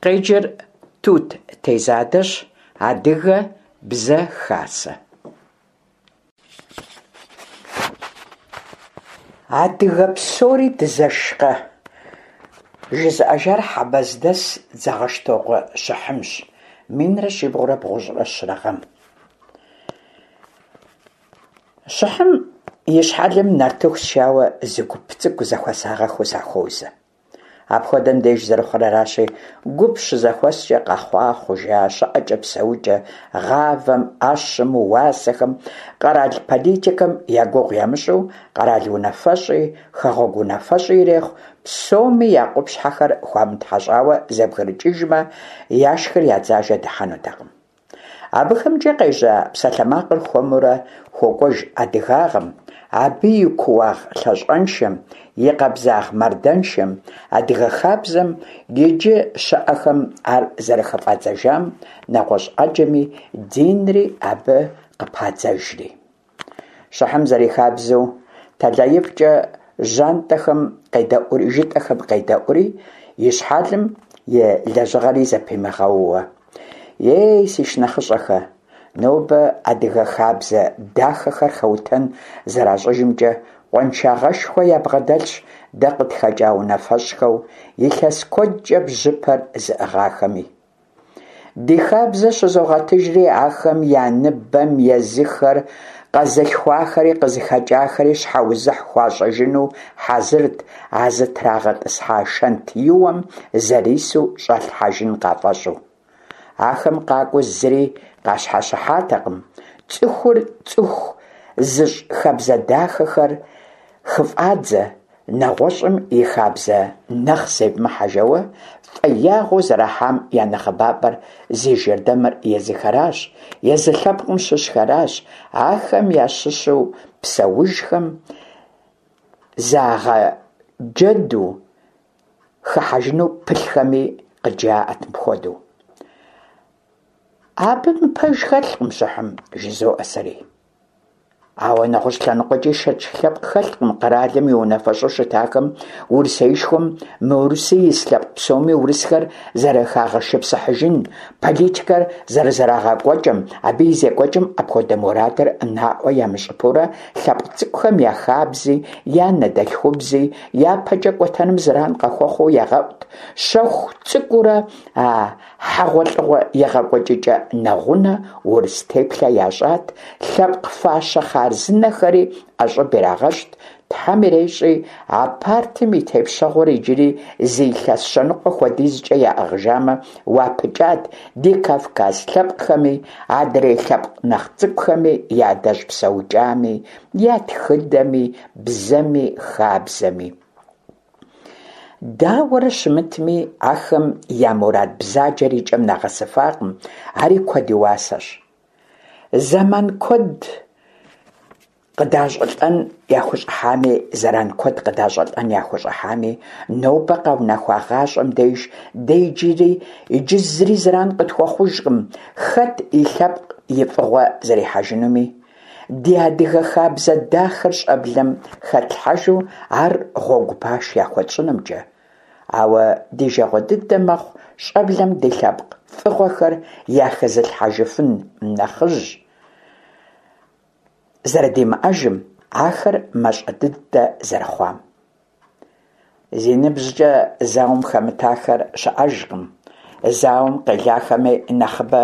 Къеджэр Тут Тезадэщ, Адыгэ бзэ хасэ. Адыгэ псори дызэшкъэ? Жызыӏэжар хьэбэздэс Дзэгъэщтокъуэ Щыхьымщ, 1393 гъэм. Щыхьым и щхьэлым нартыху сшауэ зы гуп цӏыкӏу зэхуэсагъэххэу сахуозэ. Апхуэдэм деж зэрыхъур аращи, гуп щызэхуэскӏэ къэхъуа, хъужа, щыӏэкӏэ-псэукӏэ, гъавэм, ӏэщым, уасэхэм, къэрал политикэм я гугъу ямыщӏу, къэрал унафэщӏи, хэгъуэгу унафэщӏи ирехъу, псоми я къупщхьэхэр хуамытхьэщӏауэ зэбгрыкӏыжмэ, яшхыр я дзажэ дыхьэнутэкъым. Абыхэмкӏэ къежьа псалъэмакъыр хуэмурэ хуокӏуэж адыгагъэм, абы и кууагъ лъащӏэншэм, и къабзагъ мардэншэм, адыгэ хабзэм иджы щыӏэхэм ар зэрыхыфӏадзэжам, нэгъуэщӏ ӏэджэми, динри абы къыпадзэжри. Щыхьым зэрихабзэу, тэлаифӏкӏэ жьантӏэхэм къедэӏури, жытӏэхэм къедэӏури, и щхьэлым и лэжьыгъэри зэпимыгъэууэ. Ей, си шынэхъыщӏэхэ, нобэ адыгэ хабзэ дахэхэр хэутэн зэращӏыжымкӏэ къуаншагъэшхуэ ябгъэдэлъщ дэ къытхэкӏа унафэщӏхэу илъэс куэдкӏэ бжьыпэр зыӏыгъахэми. Ди хабзэ щызогъэтыжри, ахэм я ныбэм езыхэр къэзылъхуахэри къызыхэкӏахэри щхьэузыхь хуащӏыжыну хьэзырт а зытрагъэтӏысхьа шэнтиуэм зэрису щӏалъхьэжын къафӏэщӏу. Ахэм къакӏуэу зыри къащхьэщыхьатэкъым, цӏыхур цӏыху зыщӏ хабзэ дахэхэр хыфӏадзэ, Нэгъуэщӏым и хабзэ нэхъ зевмыхьэ жэуэ фӏеягъэу зэрахьам я нэхъыбапӏэр зи жэрдэмыр езыхэращ, езы лъэпкъым щыщхэращ, ахэм ящыщу псэужхэм загъэджэду хыхьэжыну пылъхэми къыджаӏэт мыпхуэдэу. Абы мыпэж хэлъкъым, Щыхьым, жызоӏэ сэри. Ауэ нэгъуэщӏ лъэныкъуэкӏи шэч лъэпкъ хэлъкъым къэралым и унафэщӏу щытахэм Урысеишхуэм мыурысу ис лъэпкъ псоми урысхэр зэрыхагъэшыпсыхьыжын политикэр зэрызэрагъэкӏуэкӏым, абы и зекӏуэкӏым апхуэдэ мурадыр наӏуэ ямыщӏыпэурэ лъэпкъ цӏыкӏухэм я хабзи, я анэдэлъхубзи япэкӏэ кӏуэтэным зэран къахуэхъуу ягъэӏут, щэху цӏыкӏуурэ а Хьэгъуэлӏыгъуэ егъэкӏуэкӏыкӏэ нэгъунэ урыс теплъэ ящӏат, лъэпкъ фащэ хъарзынэхэри ӏэщӏыб ирагъэщӏт, Тхьэм ирещӏи, а партым и тепщэгъуэр иджыри зы илъэс щэныкъуэ хуэдизкӏэ яӏыгъыжамэ, уапыкӏат ди кавказ лъэпкъхэми, адрей лъэпкъ нэхъ цӏыкӏухэми я адэжь псэукӏами, я тхыдэми, бзэми, хабзэми. Дауэрэ щымытми, ахэм я мурад бзаджэр и кӏэм нагъэсыфакъым, ари куэд и уасэщ. Зэман куэд къыдащӏылӏэн яхущӏыхьами, зэран куэд къыдащӏылӏэн яхущӏыхьами, нобэ къэунэхуа гъащӏэм деж дэ иджыри иджы зыри зэран къытхуэхъужкъым, хэт и лъэпкъ и фӏыгъуэ зэрихьэжынуми. Ди адыгэ хабзэ дахэр щӏэблэм хэтлъхьэжу ар гъуэгу паш яхуэтщӏынымкӏэ. Ауэ ди жагъуэ дыдэ мэхъу щӏэблэм ди лъэпкъ фӏыгъуэхэр яхэзылъхьэжыфын нэхъыжь зэрыдимыӏэжым, ахэр мащӏэ дыдэ зэрыхъуам. Зи ныбжькӏэ зауэм хэмытахэр щыӏэжкъым, зауэм къелахэми нэхъыбэ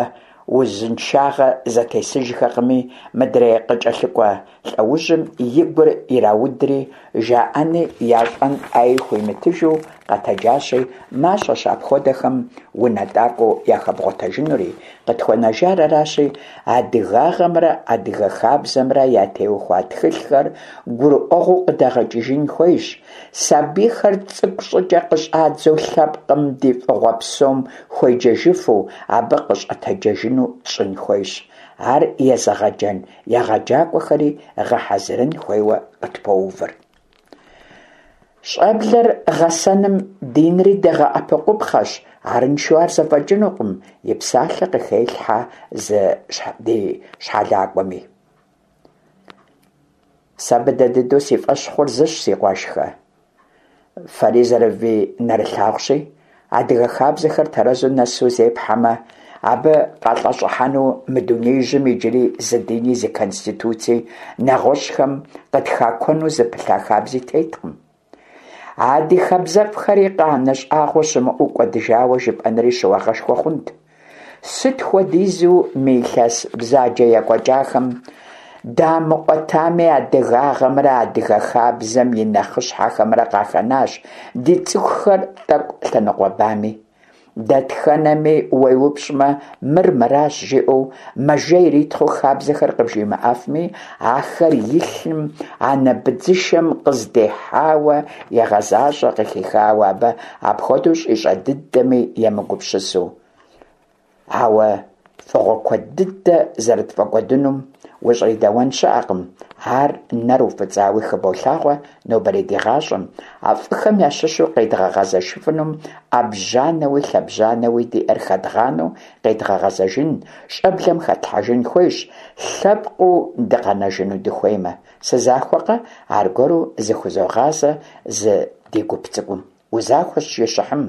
узыншагъэ зэтесыжхэкъыми, мыдрей къыкӏэлъыкӏуэ лӏэужьым и гур ираудри, жаӏэни ящӏэн ӏэи хуимытыжу къэтэджащи, мащӏэщ апхуэдэхэм унэтӏакӏуэу яхэбгъуэтэжынури, къытхуэнэжар аращи, адыгагъэмрэ адыгэ хабзэмрэ ятеухуа тхылъхэр гурыӏуэгъуэу къыдэгъэкӏыжын хуейщ, сабийхэр цӏыкӏу щӏыкӏэ къыщӏадзэу лъэпкъым ди фӏыгъуэ псом хуеджэжыфу, абы къыщӏэтэджэжыну тщӏын хуейщ, ар езыгъэджэн егъэджакӏуэхэри гъэхьэзырын хуейуэ къытпоувыр. Щӏэблэр гъэсэным динри дэгъэӏэпыкъупхъэщ, арыншэу ар зэфӏэкӏынукъым, и псалъэ къыхелъхьэ зы ди щхьэлакӏуэми. Сэ быдэ дыдэу си фӏэщ хъур зыщ, си къуэшхэ. Фэри зэрывинэрылъагъущи, Адыгэ хабзэхэр тэрэзу нэсу зепхьэмэ, абы къалӏэщӏыхьэну мы дунеижьым иджыри зы дини, зы конституци, нэгъуэщӏхэм къытхакуэну зыпылъа хабзи теткъым. А ди хабзэфӏхэри къанэ щӏагъуэ щымыӏэу кӏуэдыжауэ жыпӏэнри щыуагъэшхуэ хъунт. Сыт хуэдизу мы илъэс бзаджэ екӏуэкӏахэм дамыӏуэтами, адыгагъэмрэ адыгэ хабзэм и нэхъыщхьэхэмрэ къахэнащ ди цӏыхухэр тӏэкӏу лъэныкъуэбами. Дэтхэнэми уеупщӏмэ, мыр мыращ жиӏэу мэжэ иритхъыу хабзэхэр къыбжимыӏэфми, ахэр и лъым, анэ быдзышэм къыздихьауэ егъэзащӏэ, къыхихауэ абы апхуэдэу щӏищӏэ дыдэми емыгупсысу. Ауэ фӏыгъуэ куэд дыдэ зэрытфӏэкӏуэдынум ущӏридэуэн щыӏэкъым, ар нэр уфӏыцӏауи хыболъагъуэ нобэрей ди гъащӏэм, а фӏыхэм ящыщу къедгъэгъэзэжыфынум ӏэбжьанэуи лъэбжьанэуи диӏэр хэдгъанэу къедгъэгъэзэжын, щӏэблэм хэтлъхьэжын хуейщ, лъэпкъыу дыкъэнэжыну дыхуеймэ. Сызахуэкъэ? Аргуэру зыхузогъазэ зы ди гуп цӏыкӏум. Узахуэщ, жи Щыхьым.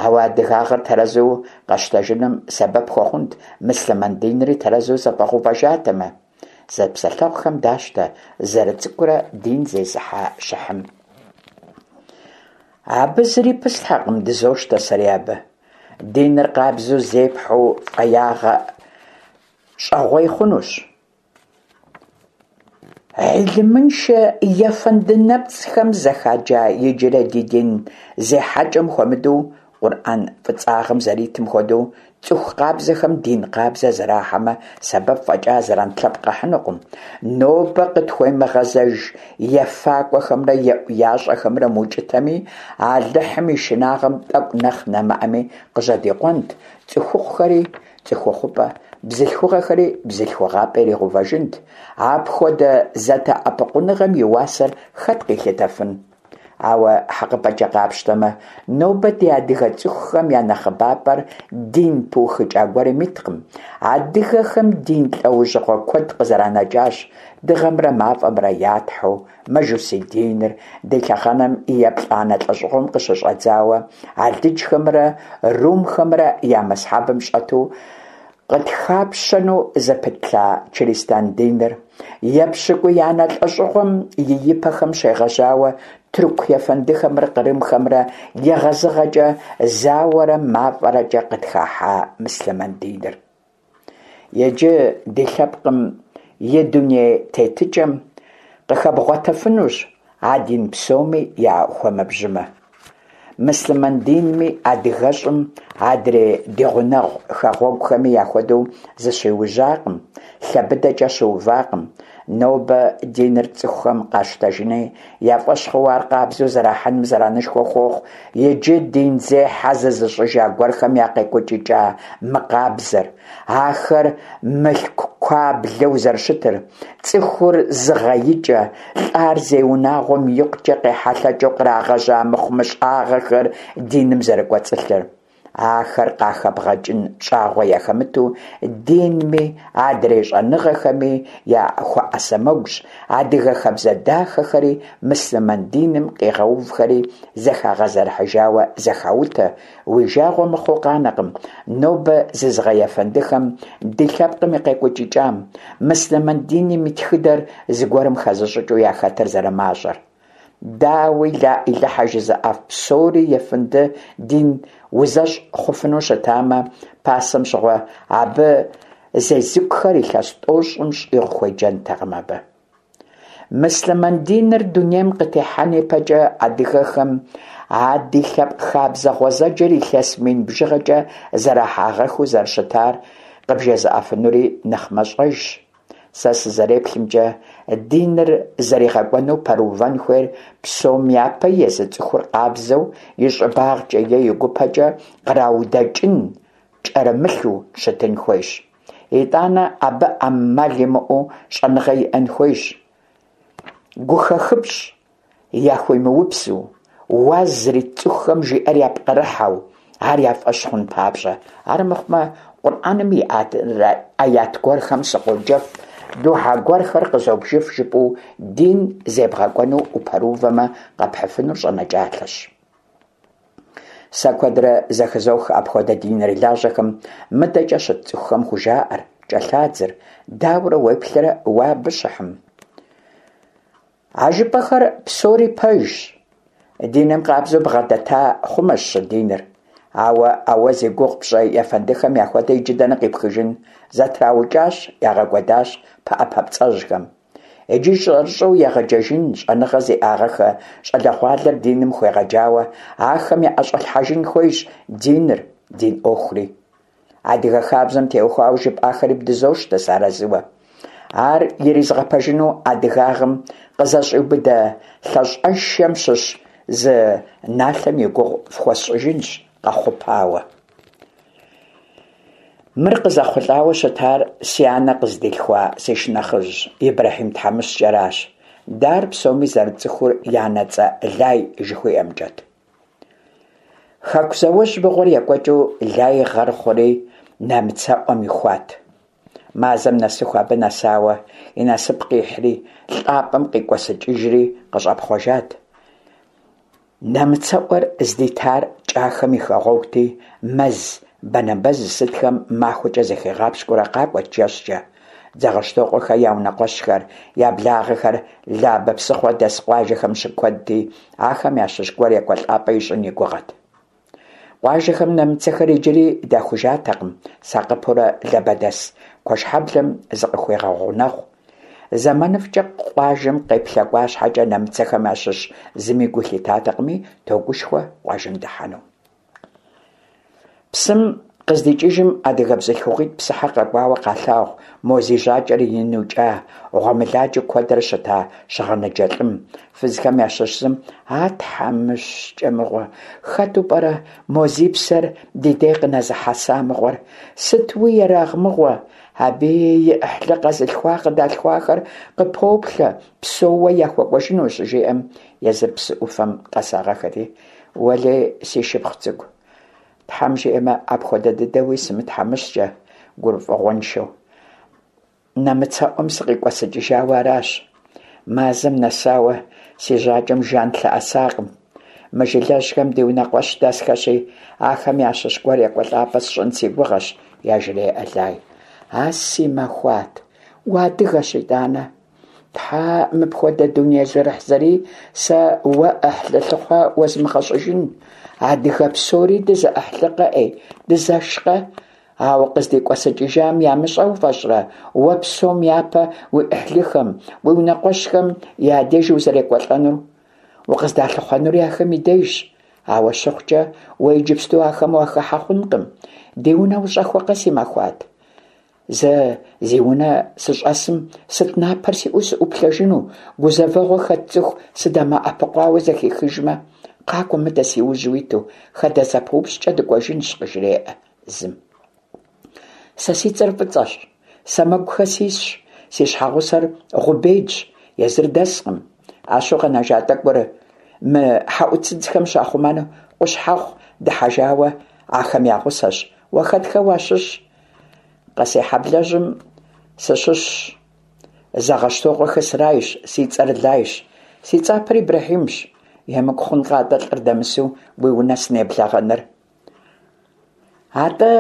Ауэ адыгагъэр тэрэзу къэщтэжыным сэбэп хуэхъунт мыслъымэн динри тэрэзу зэфӏэгъэувэжатэмэ. Зэпсэлъэгъухэм дащтэ зэрыцӏыкӏурэ дин зезыхьэ Щыхьым. Абы зыри пыслъхьэкъым, дызощтэ сэри абы. Диныр къабзэу зепхьэу фӏеягъэ щӏэгъуей хъунущ. Гьилымыншэ ефэнды нэпцӏхэм зэхаджа иджырей ди дин зехьэкӏэм хуэмыдэу, Къурӏэн фӏыцӏагъэм зэритым хуэдэу, цӏыху къабзэхэм дин къабзэ зэрахьэмэ, сэбэп фӏэкӏа зэран лъэпкъ къахьынукъым. Нобэ къытхуемыгъэзэж ефакӏуэхэмрэ еӏуящӏэхэмрэ мыукӏытэми, Алыхьым и шынагъэм тӏэкӏу нэхъ нэмыӏэми къыжьэдикъуэнт, цӏыхухъухэри цӏыхухъупӏэ, бзылъхугъэхэри бзылъхугъапӏэ иригъэувэжынт. Апхуэдэ зэдэӏэпыкъуныгъэм и уасэр хэт къилъытэфын? Ауэ, хьэкъыпӏэкӏэ къапщтэмэ, нобэ ди адыгэ цӏыхухэм я нэхъыбапӏэр дин пыухыкӏа гуэрым иткъым. Адыгэхэм дин лӏэужьыгъуэ куэд къызэранэкӏащ, дыгъэмрэ мафӏэмрэ я тхьэу, мажусий диныр, ди лъэхъэнэм и еплӏанэ лӏэщӏыгъуэм къыщыщӏэдзауэ алыджхэмрэ румхэмрэ я мэсхьэбым щӏэту къытхапщэну зыпылъа чыристан диныр, епщыкӏуиянэ лӏэщӏыгъуэм и ипэхэм щегъэжьауэ тырку ефэндыхэмрэ кърымхэмрэ егъэзыгъэкӏэ зауэрэ мафӏэрэкӏэ къытхахьа мыслъымэн диныр. Иджы ди лъэпкъым и дуней тетыкӏэм къыхэбгъуэтэфынущ а дин псоми я хуэмэбжьымэ. Мыслъымэн динми адыгэщӏым адрей ди гъунэгъу хэгъуэгухэми яхуэдэу зыщиужьакъым, лъэ быдэкӏэ щыувакъым. Нобэ диныр цӏыхухэм къащтэжыни я фӏэщ хъууэ ар къабзэу зэрахьэным зэранышхуэ хуохъу иджы динзехьэ зызыщӏыжа гуэрхэм я къекӏуэкӏыкӏа мыкъабзэр, ахэр мылъку куаблэу зэрыщытыр, цӏыхур зыгъэикӏэ, лӏар зей унагъуэм икъукӏэ къехьэлъэкӏыу кърагъэжьа мыхъумыщӏагъэхэр диным зэрыкӏуэцӏылъыр. Ахэр къахэбгъэкӏын щӏагъуэ яхэмыту динми, адрей щӏэныгъэхэми я хуэӏэсэмэгущ, адыгэ хабзэ дахэхэри мыслъымэн диным къигъэувхэри зэхагъэзэрыхьыжауэ зэхаутэ, уи жагъуэ мыхъуу къанэкъым нобэ зызыгъэефэндыхэм ди лъэпкъым и къекӏуэкӏыкӏам, мыслъымэн диным и тхыдэр зыгуэрым хэзыщӏыкӏыу яхэтыр зэрымащӏэр. Дауи, лаӏилыхьэ жызыӏэф псори ефэнды дин узэщӏ хъуфыну щытамэ, пасэм щыгъуэ абы зезыкухэр илъэс тӏощӏым щӏигъу хуеджэнтэкъым абы. Мыслъымэн диныр дунейм къытехьэн ипэкӏэ адыгэхэм а ди лъэпкъ хабзэ гъуэзэджэр илъэс мин бжыгъэкӏэ зэрахьагъэхыу зэрыщытар къыбжезыӏэфынури нэхъ мащӏэжщ. Сэ сызэреплъымкӏэ, диныр зэригъэкӏуэну пэрыувэн хуейр псом япэ езы цӏыхур къабзэу и щӏыбагъкӏэ е и гупэкӏэ къраудэкӏын кӏэрымылъу щытын хуейщ. Итӏанэ абы ӏэмал имыӏэу щӏэныгъэ иӏэн хуейщ. Гухэхыпщӏ яхуимыупсу, уаз зрит цӏыхухэм жиӏэр япкърыхьэу, ар я фӏэщ хъун папщӏэ. Армыхъумэ, Къурӏэным и ӏэят гуэрхэм сыкъоджэф, духьэ гуэрхэр къызобжыф жыпӏэу дин зебгъэкӏуэну упэрыувэмэ, къэпхьыфынур щӏэнэкӏалъэщ. Сэ куэдрэ зэхызох апхуэдэ динырылажьэхэм мыдэкӏэ щыт цӏыхухэм хужаӏэр, кӏэлъадзыр. Дауэрэ уеплърэ уэ абы, Щыхьым? А жыпӏэхэр псори пэжщ. Диным къабзэу бгъэдэта хъумэщ щыдиныр. Ауэ а уэ зи гугъу пщӏы ефэндыхэм яхуэдэ иджы дэнэ къипхыжын? Зэтраукӏащ, ягъэкӏуэдащ пыӏэ папцӏэжьхэм. Иджы щӏэрыщӏэу егъэджэжын, щӏэныгъэ зиӏагъэхэ щӏалэгъуалэр диным хуегъэджауэ, ахэм яӏэщӏэлъхьэжын хуейщ диныр, дин ӏуэхури. Адыгэ хабзэм теухуауэ жыпӏахэри бдызощтэ сыарэзыуэ. Ар иризгъэпэжыну адыгагъэм къызэщӏиубыдэ лъэщӏэшэм щыщ зы налъэм и гугъу фхуэсщӏыжынщ къэхъупауэ. Мыр къызэхъулӏауэ щытар си анэ къыздилъхуа си шынэхъыжь Ибрэхьим тхьэмыщкӏэращ. Дэ ар псоми зэрытцӏыхур и анэцӏэ Лай жыхуиӏэмкӏэт. Хэку зауэжь мыгъуэр екӏуэкӏыу Лай гъэр хъури нэмыцэӏуэм ихуат. Мазэм нэсыху абы нэсауэ и насып къихьри, лӏапӏэм къикӏуэсыкӏыжри къыщӏэпхъуэжат. Нэмыцэӏуэр здитар Кӏахэм и хэгъуэгути, мэз банэбэз сытхэм махуэкӏэ зыхигъапщкӏуэурэ къакӏуэт жэщкӏэ. Дзэгъэщтокъуэхэ я унэкъуэщхэр, я благъэхэр Лабэ псыхъуэ дэс къуажэхэм щыкуэдти, ахэм ящыщ гуэр екӏуэлӏапӏэ ищӏын и гугъэт. Къуажэхэм нэмыцэхэр иджыри дахужатэкъым, сакъыпэурэ лабэдэс Куэшхьэблэм зыкъыхуегъэгъунэгъу. Зэманыфӏкӏэ къуажэм къеплъэкӏуа щхьэкӏэ нэмыцэхэм ящыщ зыми гу лъитатэкъыми, тогушхуэ къуажэм дыхьэну. Псым къыздикӏыжым адыгэ бзылъхугъитӏ псыхьэ къэкӏуауэ къалъагъу мо зи жьакӏэр ину кӏа, гъуэмыладжэу куэдрэ щыта щыгъыныджэ лӏым. Фызхэм ящыщ зым, А тхьэмыщкӏэ мыгъуэ, хэту пӏэрэ мо зи псэр ди дей къынэзыхьэса мыгъуэр? Сытуи ерагъ мыгъуэ! Абы и ӏыхьлы къэзылъхуа къыдалъхуахэр къыпоплъэ, псэууэ яхуэкӏуэжыну, щыжиӏэм, езыр псы ӏуфэм къэсагъэхэти, Уэлей, си шыпхъу цӏыкӏу, Тхьэм жиӏэмэ, апхуэдэ дыдэуи сымытхьэмыщкӏэ, гурыфӏыгъуэншэу. Нэмыцэӏуэм сыкъикӏуэсыкӏыжауэ аращ. Мазэм нэсауэ си жьакӏэм жан лъэӏэсакъым. Мы жылэжьхэм ди унэкъуэщ дэсхэщи, ахэм ящыщ гуэр екӏуэлӏапӏэ сщӏын си гугъэщ, яжреӏэ Лай. А си махуат, уадыгэщ итӏанэ. Тхьэ, мыпхуэдэ дуней зэрыхьзэрий сэ уэ ӏыхьлы лъыхъуэ уэзмыгъэщӏыжын. Адыгэ псори дызэӏыхьлыкъэ, ӏей, дызэшкъэ? А укъыздикӏуэсыкӏыжам ямыщӏэ уфӏэщӏрэ, уэ псом япэ уи ӏыхьлыхэм, уи унэкъуэщхэм я деж узэрекӏуэлӏэнур? Укъыздалъыхъуэнури ахэм и дежщ. Ауэ щыхъукӏэ, уэ иджыпсту ахэм уахыхьэ хъункъым. Ди унэ ущӏэхуэкъэ, си махуат? Зэ зи унэ сыщӏэсым сыт напэр сиӏэу сыӏуплъэжыну, гузэвэгъуэ хэт цӏыху сыдэмыӏэпыкъуауэ зэхихыжмэ, къакӏуэ мыдэ си ужь уиту, хадэ зэпыупщӏкӏэ дыкӏуэжынщ, къыжреӏэ зым. Сэ си цӏэр Фӏыцӏэщ, Сэмэгухэ сисщ, си щхьэгъусэр Гъубейдщ, езыр дэскъым. ӏэщу къэнэжа тӏэкӏур мы хьэӏуцыдзхэм щахъумэну Къущхьэхъу дыхьэжауэ ахэм я гъусэщ. Уэ хэтхэ уащыщ? Къэсейхьэблэжьым сыщыщщ. Зэгъэщтокъуэхэ срайщ, си цӏэр Лайщ, си цӏапэр Ибрэхьимщ. Емыкӏу хъункъэ атӏэ лӏыр дэмысу уи унэ сынеблэгъэныр? Атӏэ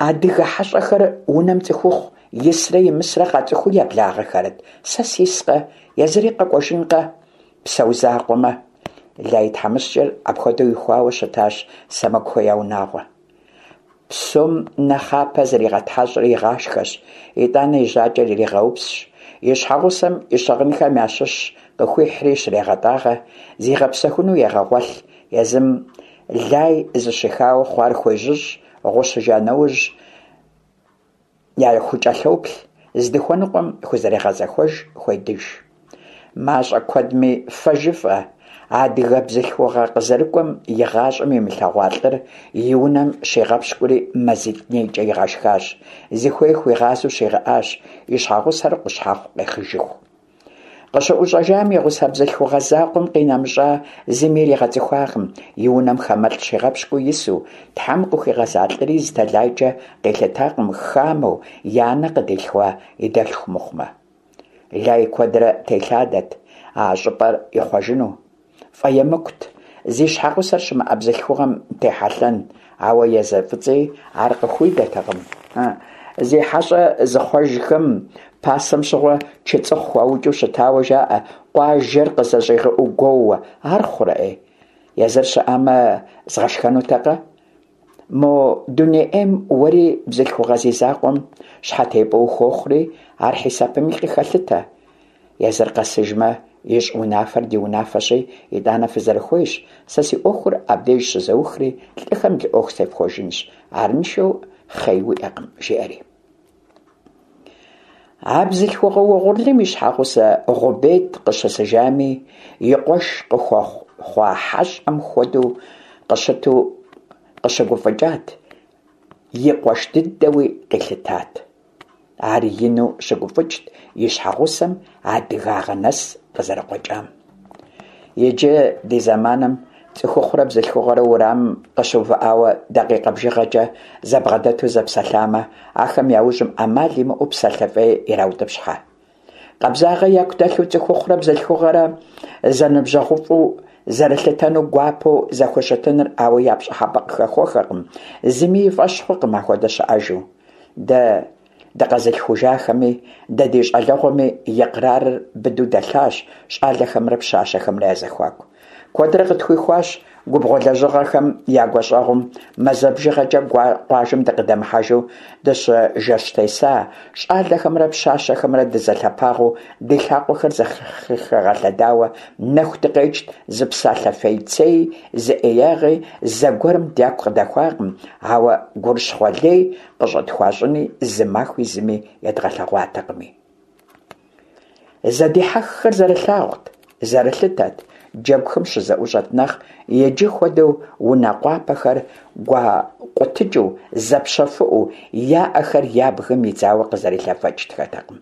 адыгэ хьэщӏэхэр унэм цӏыхухъу исрэ имысрэ къацӏыхуу еблагъэхэрэт? Сэ сискъэ, езыри къэкӏуэжынкъэ, псэу закъуэмэ. Лай тхьэмыщкӏэр апхуэдэу ихуауэ щытащ Сэмэгухэ я унагъуэ. Псом нэхъапэ зригъэтхьэщӏри игъашхэщ, итӏанэ и жьакӏэр иригъэупсщ, и щхьэгъусэм и щыгъынхэм ящыщ къыхуихьри щрегъэтӏагъэ, зигъэпсэхуну егъэгъуэлъ, езым Лай зыщихауэ хъуар хуежьыщӏ, гъущыжа нэужь яхукӏэлъоплъ, здыхуэныкъуэм хузэрегъэзэхуэж, хуедыж. Мащӏэ куэдми фэ жыфӏэ, адыгэ бзылъхугъэ къызэрыкӏуэм и гъащӏэм имылъэгъуа лӏыр и унэм щигъэпщкӏури мазитӏ нейкӏэ игъэшхащ, зыхуей хуигъазэу щигъэӏащ, и щхьэгъусэр Къущхьэхъу къехыжыху. Къыщыӏущӏэжам и гъусэ бзылъхугъэ закъуэм къинэмыщӏа зыми иригъэцӏыхуакъым, и унэм хамэлӏ щигъэпщкӏуу ису, Тхьэм къыхуигъэза лӏыри зы тэлайкӏэ къилъытакъым хамэу и анэ къыдилъхуа и дэлъху мыхъумэ. Лай куэдрэ телъадэт а щӏыпӏэр ихъуэжыну. Фӏэемыкӏут. зи щхьэгъусэр щымыӏэ бзылъхугъэм техьэлъэн, ауэ езы Фӏыцӏи ар къыхуидэтэкъым. Зи хьэщӏэ зыхъуэжхэм пасэм щыгъуэ чыцӏыхъу хуаукӏыу щытауэ жаӏэ, къуажэр къызэщӏигъэӏуу гуоууэ. Ар хъурэ, ӏей? Езыр щыӏамэ, згъэшхэнутэкъэ? Мо дуней ӏейм уэри бзылъхугъэ зи закъуэм щхьэтепӏэ ухуохъури, ар хьисэпми къыхэлъытэ. Езыр къэсыжмэ, ищӏ унафэр ди унафэщи, итӏанэ фызэрыхуейщ, сэ си ӏуэхур абдеж щызэухри, лӏыхэм лы ӏуэху зефхуэжынщ, арыншэу хъей уиӏэкъым, жиӏэри. А бзылъхугъэ угъурлым и щхьэгъусэ Гъубет къыщысыжами, и къуэш къыхуэхъуа хьэщӏэм хуэдэу къыщыту къыщыгуфӏыкӏат, и къуэш дыдэуи къилъытат. Ар ину щыгуфӏыкӏт и щхьэгъусэм адыгагъэ нэс къызэрыкъуэкӏам. Иджы ди зэманым цӏыхухъурэ бзылъхугъэрэ уэрамым къыщыувыӏауэ дакъикъэ бжыгъэкӏэ зэбгъэдэту зэпсэлъамэ, ахэм я ужьым ӏэмал имыӏэу псалъэ фӏей ираутӏыпщхьэ. Къабзагъэ яку дэлъу цӏыхухъурэ бзылъхугъэрэ зэныбжьэгъуфӏу зэрылъытэну гуапэу зэхущытыныр ауэ я пщӏыхьэпӏэ къыхэхуэхэкъым, зыми и фӏэщ хъукъым ахуэдэ щыӏэжу. Дэ дыкъэзылъхужахэми, дэ ди щӏалэгъуэми икърарыр быдэу дэлъащ щӏалэхэмрэ пщащэхэмрэ я зэхуаку. Куэдрэ къытхуихуащ губгъуэ лэжьыгъэхэм я гуащӏэгъум мазэ бжыгъэкӏэ къуажэм дыкъыдэмыхьэжу дыщыжэщтеса, щӏалэхэмрэ пщащэхэмрэ дызэлъэпагъыу ди лъакъуэхэр зэхэгъэлъэдауэ нэху дыкъекӏт, зы псалъэ фейцеи, зы ӏеягъи зэгуэрым дяку къыдэхуакъым, ауэ гурыщхъуэ лей къыщӏытхуащӏыни зы махуи зыми едгъэлъэгъуатэкъыми. Зэдихьэххэр зэрылъагъут, зэрылъытэт, джэгухэм щызэӏущӏэт нэхъ иджы хуэдэу унэ къуапэхэр гуакъутыкӏыу, зэпщэфыӏэу, я ӏэхэр я бгым идзауэ къызэрилъэфэкӏтхэтэкъым.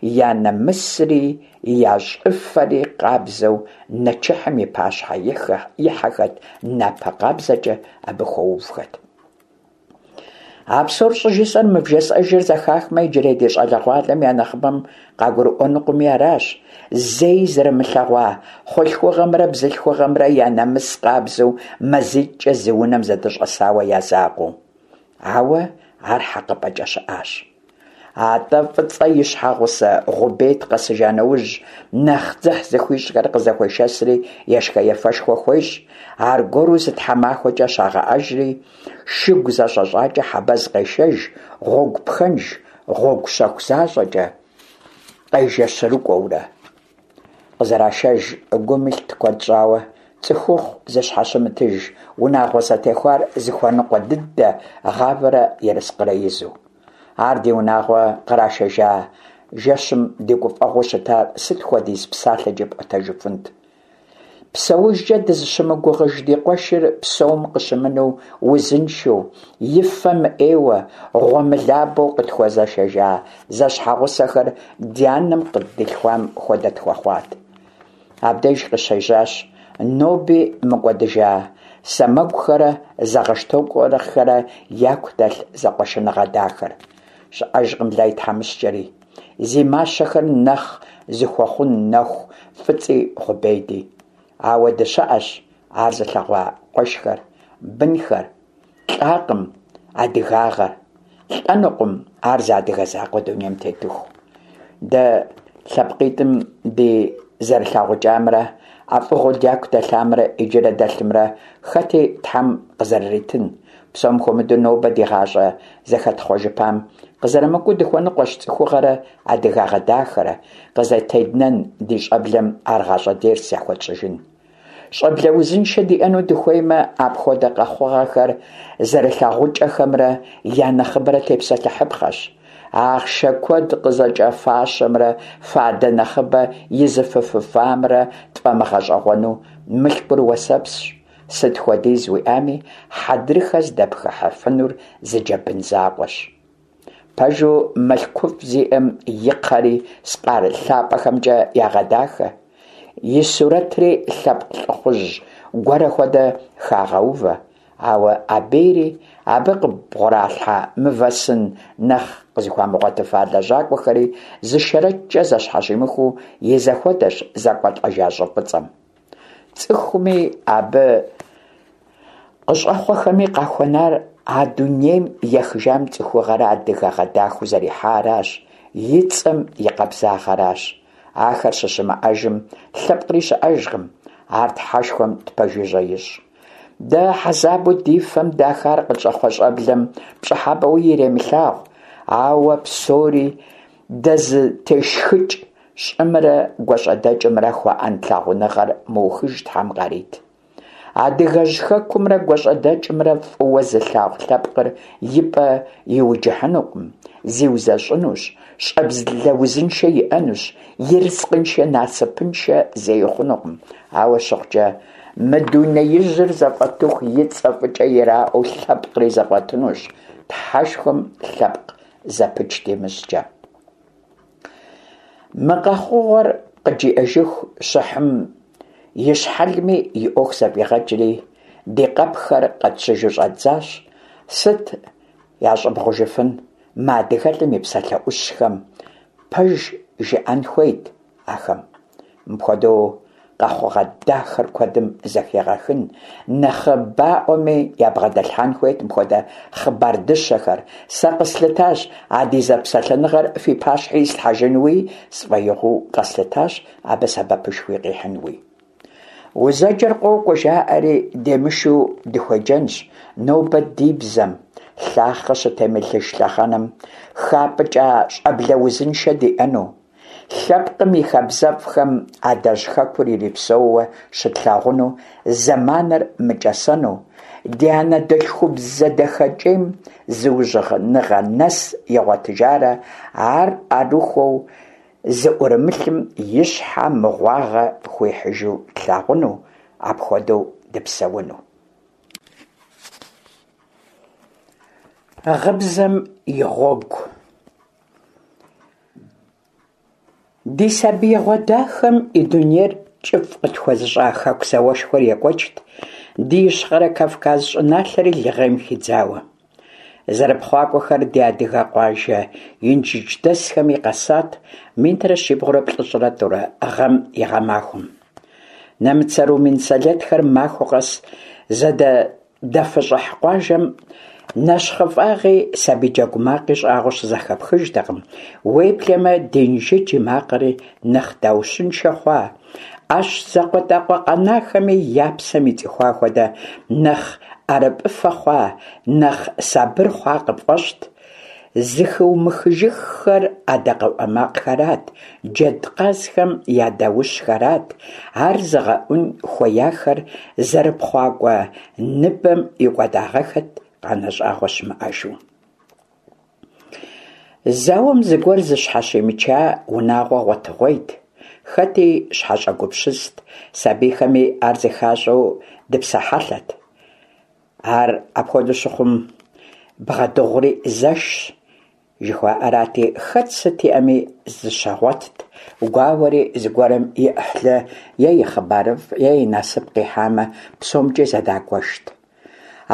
Я нэмысри, я щӏыфэри къабзэу нэчыхьым и пащхьэ ихьэхэт, напэ къабзэкӏэ абы хуэувхэт. А псор щӏыжысӏэр мы вжесӏэжыр зэхахмэ, иджырей ди щӏалэгъуалэм я нэхъыбэм къагурыӏуэнукъыми аращ. Зэи зэрымылъэгъуа хъулъхугъэмрэ бзылъхугъэмрэ я нэмыс къабзэу мазитӏкӏэ зы унэм зэдыщӏэсауэ я закъуэу. Ауэ ар хьэкъыпӏэкӏэ щыӏащ. Атӏэ Фӏыцӏэ и щхьэгъусэ Гъубет къэсыжа нэужь, нэхъ дзыхь зыхуищӏхэр къызэхуешэсри ешхэ-ефэшхуэ хуещӏ, аргуэру зы тхьэмахуэкӏэ щагъэӏэжри, шыгу зэщӏэщӏакӏэ Хьэбэз къешэж, гъуэгу пхэнж, гъуэгу щэху защӏэкӏэ къежэщырыкӏуэурэ. Къызэрашэж гум илът куэд щӏауэ, цӏыхухъу зыщхьэщымытыж унагъуэ зэтехуар зыхуэныкъуэ дыдэ гъавэрэ ерыскъырэ изу. Ар ди унагъуэ кърашэжа жэщым ди гуфӏэгъуэу щытар сыт хуэдиз псалъэкӏи пӏуэтэжыфынт. Псэужкӏэ дызыщымыгугъыж ди къуэшыр псэум къыщымынэу узыншэу, и фэ мыӏейуэ, гъуэмылабэу къытхуэзышэжа зэщхьэгъусэхэр ди анэм къыддилъхуам хуэдэ тхуэхъуат. Абдеж къыщежьащ ноби мыкӏуэдыжа Сэмэгухэрэ Зэгъэщтокъуэхэрэ яку дэлъ зэкъуэшыныгъэ дахэр. Щыӏэжкъым Лай тхьэмыщкӏэри, зи мащэхэр нэхъ зыхуэхъун нэху Фӏыцӏи Гъубеди. Ауэ дыщыӏэщ ар зылъэгъуа къуэшхэр, бынхэр. Лӏакъым адыгагъэр, лӏэнукъым ар зы адыгэ закъуэ дунейм тетыху. Дэ лъэпкъитӏым ди зэрылъагъукӏамрэ ӏэфӏыгъэу дяку дэлъамрэ иджырэ дэлъымрэ хэти Тхьэм къызэрыритын. Псом хуэмыдэу нобэ ди гъащӏэ зэхэтхъуэжыпам къызэрымыкӏуэу дыхуэныкъуэщ цӏыхугъэрэ адыгагъэ дахэрэ, къызэтеднэн ди щӏэблэм ар гъащӏэ дерс яхуэтщӏыжын. Щӏэблэ узыншэ диӏэну дыхуеймэ, апхуэдэ къэхъугъэхэр зэрылъагъукӏэхэмрэ я нэхъыбэрэ тепсэлъыхьыпхъэщ. Ахъшэ куэд къызэкӏэфащэмрэ фадэ нэхъыбэ изыфыфыфамрэ тфӏэмыгъэщӏэгъуэну мылъкур уэсэпсщ, сыт хуэдиз уиӏами, хьэдрыхэ здэпхыхьыфынур зы джэбын закъуэщ. Пэжу, мылъкуфӏ зиӏэм и кхъэри скъар лъапӏэхэмкӏэ ягъэдахэ, и сурэтри лъэпкъ лӏыхъужь гуэрэ хуэдэ хагъэувэ, ауэ абейри абы къыбгъуралъхьа мывэ сын нэхъ къызыхуамыгъуэтыфа лэжьакӏуэхэри зы шэрэчкӏэ зэщхьэщимыхыу и зэхуэдэщ зэкӏуэлӏэжа щӏы фӏыцӏэм. цӏыхуми абы къыщӏэхъуэхэми къахуэнар а дунейм ехыжам цӏыхугъэрэ адыгагъэ дахэу зэрихьаращ, и цӏэм и къабзагъэращ. Ахэр щыщымыӏэжым лъэпкъри щыӏэжкъым, ар Тхьэшхуэм тпэжыжьэ ищӏ. Дэ хьэзабу ди фэм дахар къытщӏэхъуэ щӏэблэм пщӏыхьэпӏэуи иремылъагъу, ауэ псори дэзытешхыкӏ щӏымрэ гуащӏэдэкӏымрэ хуаӏэн лъагъуныгъэр мыухыж Тхьэм къарит. Адыгэжь хэкумрэ гуащӏэдэкӏымрэ фӏыуэ зылъагъу лъэпкъыр и пӏэ иуджыхьынукъым, зиузэщӏынущ, щӏэблэ узыншэ иӏэнущ, ерыскъыншэ насыпыншэ зэи хъунукъым. Ауэ щыхъукӏэ, мы дунеижьыр зэфӏэтыху и цӏэ фӏыкӏэ ираӏуэу лъэпкъри зэфӏэтынущ, Тхьэшхуэм лъэпкъ зэпыч димыщӏкӏэ. Мы къэхъугъэр къыджиӏэжыху, Щыхьым и щхьэлми и ӏуэху зэфӏигъэкӏри, ди къэпхэр къэтщыжу щӏэддзащ. Сыт ящӏыбгъужыфын мы адыгэлӏым и псалъэ ӏущхэм? Пэж жыӏэн хуейт ахэм. Мыпхуэдэу къэхъугъэ дахэр куэдым зэхегъэхын, нэхъыбаӏуэми ябгъэдэлъхьэн хуейт мыпхуэдэ хъыбар дыщэхэр. Сэ къэслъытащ а ди зэпсэлъэныгъэр фи пащхьи ислъхьэжынуи, сфӏэигъуэу къэслъытащ абы сэбэпышхуи къихьынуи. Узэджэр къокӏуэ жаӏэри, демышу дыхуеджэнщ нобэ ди бзэм, лъахъэ щытемылъыж лъэхъэнэм хапӏыкӏа щӏэблэ узыншэ диӏэну. Лъэпкъым и хабзэфӏхэм адэжь хэкур ирипсэууэ щытлъагъуну зэманыр мыкӏэсэну, ди анэдэлъхубзэ дахэкӏейм зыужьыныгъэ нэс игъуэтыжарэ ар ӏэрыхуэу зыӏурымылъым и щхьэ мыгъуагъэ хуихьыжу тлъагъуну, апхуэдэу дыпсэуну. Гъыбзэм и гъуэгу. Ди сабиигъуэ дахэм и дунейр кӏыфӏ къытхуэзыщӏа Хэку зауэшхуэр екӏуэкӏт, ди Ищхъэрэ Кавказ щӏыналъэри лыгъейм хидзауэ. Зэрыпхъуакӏуэхэр ди адыгэ къуажэ инжыдждэсхэми къэсат 1793 гъэм и гъэмахуэм. Нэмыцэ-румын сэлэтхэр махуэ къэс зэдэфыщӏыхь къуажэм нэщхъыфӏагъи сабий джэгу макъи щӏагъуэ щызэхэпхыжтэкъым, уеблэмэ ди Инжыдж и макъри нэхъ даущыншэ хъуа, ӏэщ закъуэтӏакъуэ къэнахэми я псэм ицӏыхуа хуэдэ нэхъ ӏэрыпӏыфэ хъуа, нэхъ сабыр хъуа къыпфӏэщӏт. Зыхыумыхыжыххэр адакъэӏуэ макъхэрат, джэд-къазхэм я даущхэрат, ар зыгъэӏун хуеяхэр зэрыпхъуакӏуэ ныбэм икӏуэдагъэххэт къанэ щӏагъуэ щымыӏэжу. Зауэм зыгуэр зыщхьэщимыча унагъуэ гъуэтыгъуейт, хэти щхьэщӏэгупсыст, сабийхэми ар зыхащӏэу дыпсэ хьэлъэт. Ар апхуэдэу щыхъум, бгъэдыгъури зэшщ, жыхуаӏэрати, хэт сыт иӏэми зыщагъуэтт, гуауэри зыгуэрым и ӏыхьлы е и хъыбарыфӏ е и насып къихьамэ, псомкӏи зэдагуэшт.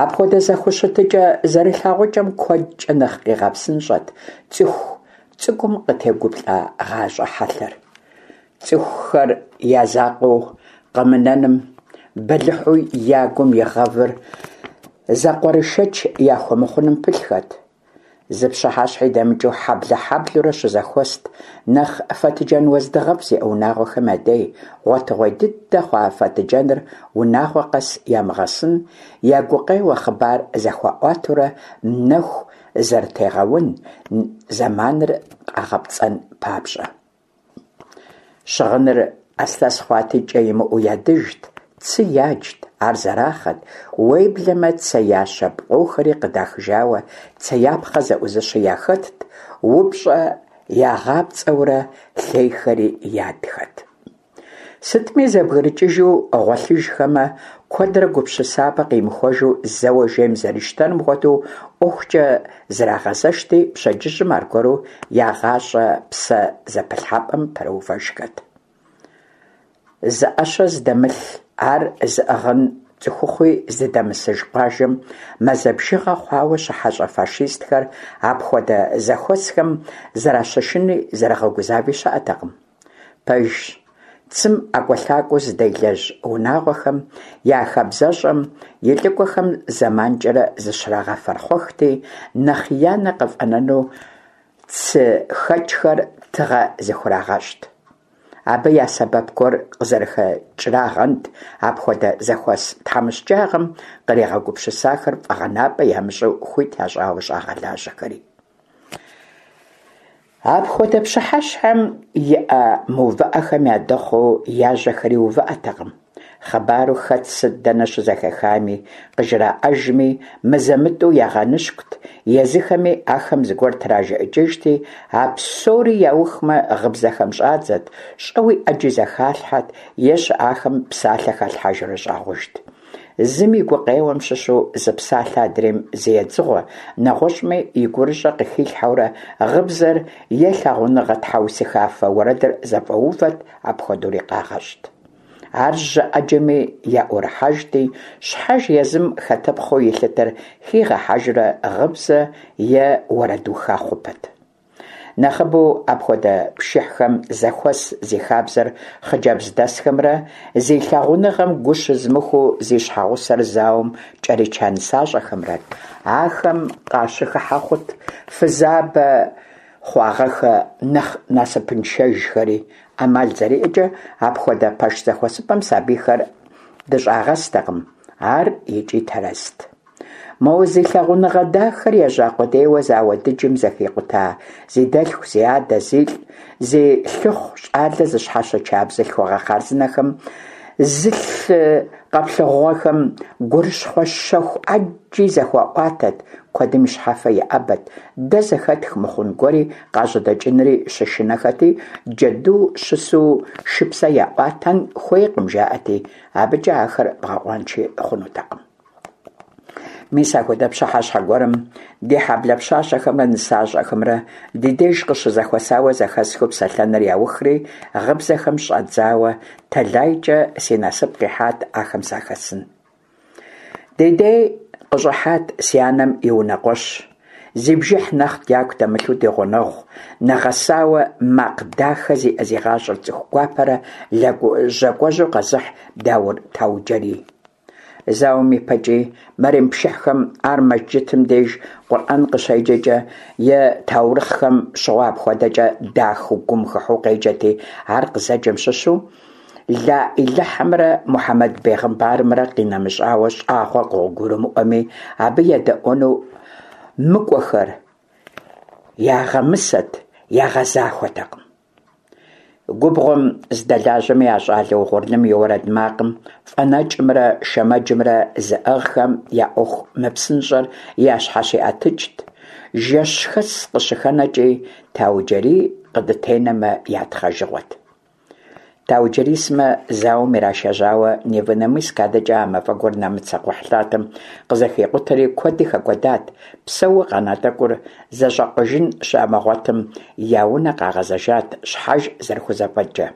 Апхуэдэ зэхущытыкӏэ зэрылъагъукӏэм куэдкӏэ нэхъ къигъэпсынщӏэт цӏыху цӏыкӏум къытегуплӏа гъащӏэ хьэлъэр. Цӏыхухэр я закъуэу къэмынэным, бэлыхьу я гум игъэвыр зэкъуэрышэч яхуэмыхъуным пылъхэт. Зы пщыхьэщхьи дэмыкӏыу хьэблэ-хьэблэурэ щызэхуэст нэхъ фэтыджэн уэздыгъэфӏ зиӏэ унагъуэхэм я дей, гъуэтыгъуей дыдэ хъуа фэтыджэныр унагъуэ къэс ямыгъэсын, я гукъеуэ хъыбар зэхуаӏуатэурэ нэху зэрытегъэун, зэманыр къагъэпцӏэн папщӏэ. Щыгъыныр ӏэслъэс хъуати, кӏэ имыӏэу ядыжт, цы яджт, ар зэрахъэт, уеблэмэ цеящэ пкъохэри къыдахыжауэ цеяпхъэ зэӏузыщи яхэтт, упщӏэ ягъапцӏэурэ лъейхэри ядхэт. Сытми, зэбгрыкӏыжу гъуэлъыжхэмэ, куэдрэ гупсысапӏэ къимыхуэжу зэуэ жейм зэрищтэнум хуэдэу ӏуэхукӏэ зрагъэзэшти, пщэдджыжьым аргуэру я гъащӏэ псэ зэпылъхьэпӏэм пэрыувэжхэт. Зы ӏэщэ зыдэмылъ, ар зыӏыгъын цӏыхухъуи здыдэмысыж къуажэм мазэ бжыгъэ хъуауэ щыхьэщӏэ фашистхэр апхуэдэ зэхуэсхэм зэращышыни зэрагъэгузави щыӏэтэкъым. Пэжщ. Цым ӏэкӏуэлъакӏуэу зыделэжь унагъуэхэм я хабзэщӏэм и лӏыкӏуэхэм зэманкӏэрэ зыщрагъэфэрхъуэхти, нэхъ я нэ къыфӏэнэну цыхэкӏхэр тыгъэ зыхурагъэщӏт. Абы я сэбэп гуэр къызэрыхэкӏрагъэнт апхуэдэ зэхуэс тхьэмыщкӏагъэм къригъэгупсысахэр фӏэгъэнапӏэ ямыщӏу хуит ящӏауэ щӏагъэлажьэхэри. Апхуэдэ пщыхьэщхьэм и ӏэ мыувыӏэхэм ядэхъуу я жьэхэри увыӏэтэкъым. Хъыбару хэт сыт дэнэ щызэхахами, къыжраӏэжми, мызэ-мытӏэу ягъэныщкӏут, езыхэми ахэм зыгуэр тражыӏыкӏыжти, а псори яухмэ, гъыбзэхэм щӏадзэт, щӏэуи ӏэджи зэхалъхьэт е щыӏахэм псалъэ халъхьэжурэ щӏагъужт. Зым и гукъеуэм щыщу зы псалъэ адрейм зы едзыгъуэ, нэгъуэщӏми и гурыщӏэ къыхилъхьэурэ гъыбзэр е лъагъуныгъэ тхьэусыхафэ уэрэдыр зэфӏэувэт, апхуэдэури къагъэщӏт. Ар жьы ӏэджэми яӏурыхьэжти, щхьэж езым хэтыпхъэу илъытэр хигъэхьэжурэ гъыбзэ е уэрэдуха хъупэт. Нэхъыбэу апхуэдэ пшыхьхэм зэхуэс зи хабзэр хъыджэбздэсхэмрэ зи лъагъуныгъэм гу щызымыхуу зи щхьэгъусэр зауэм кӏэрича нысащӏэхэмрэт. Ахэм къащыхыхьэ хъут фызабэ хъуагъэхэ нэхъ насыпыншэжхэри. ӏэмал зэриӏэкӏэ апхуэдэ пэш зэхуэсыпӏэм сабийхэр дыщӏагъэстэкъым. Ар икӏи тэрэзт. Мо зи лъагъуныгъэ дахэр ежьа къудейуэ зауэ дыджым зэхикъута зи дэлъху, зи адэ, зилӏ, зи лъыхъу щӏалэ зыщхьэщыча бзылъхугъэ хъарзынэхэм зы лъы къэплъыгъуэхэм гурыщхъуэ щэху ӏэджи зэхуаӏуатэт, куэдым и щхьэфэ иӏэбэт, дэ зэхэтх мыхъун гуэри къажьэдэкӏынри щышынэхэти, джэду щысу шыпсэ яӏуатэн хуейкъым жаӏэти, абыкӏэ ахэр бгъэкъуанши хъунутэкъым. Мис апхуэдэ пщыхьэщхьэ гуэрым ди хьэблэ пщащэхэмрэ нысащӏэхэмрэ ди деж къыщызэхуэсауэ зэхэсхыу псэлъэныр яухри, гъыбзэхэм щӏадзауэ, тэлайкӏэ си насып къихьат ахэм сахэсын. Ди дей къыщӏыхьат си анэм и унэкъуэщ, зи бжыхь нэхъ дяку дэмылъу ди гъунэгъу, нэгъэсауэ макъ дахэ зиӏэ зи гъащӏэр цӏыху гуапэрэ лэжьакӏуэжьу къэзыхь Даур Тауджэрий. Зауэм и пэкӏи, мэрем пшыхьхэм ар мэжджытым деж Къурӏэн къыщеджэкӏэ е таурыхъхэм щыгъуэ апхуэдэкӏэ дахэу гум хыхьэу къеджэти, ар къызэджэм щыщу Лаӏилыхьымрэ Мухьэмэд бегъымбарымрэ къинэмыщӏауэ щӏагъуэ къыгурымыӏуэми, абы едэӏуэну мыкӏуэхэр ягъэмысэт, ягъэзахуэтэкъым. Губгъуэм здэлажьэми а щӏалэ угъурлым и уэрэд макъым фӏэнэкӏымрэ шэмэджымрэ зыӏыгъхэм я ӏуэху мыпсынщӏэр ящхьэщиӏэтыкӏт, жэщхэс къыщыхэнэкӏи Тауджэрий къыдытенэмэ я тхъэжыгъуэт. Тауджэрий сымэ зауэм ирашэжьауэ Невинномысск адэкӏэ а мафӏэгур нэмыцэ кхъухьлъатэм къызэхикъутэри куэди хэкӏуэдат, псэууэ къэна тӏэкӏур зэщӏакъуэжын щамыгъуэтым я унэ къагъэзэжат щхьэж зэрыхузэфӏэкӏкӏэ.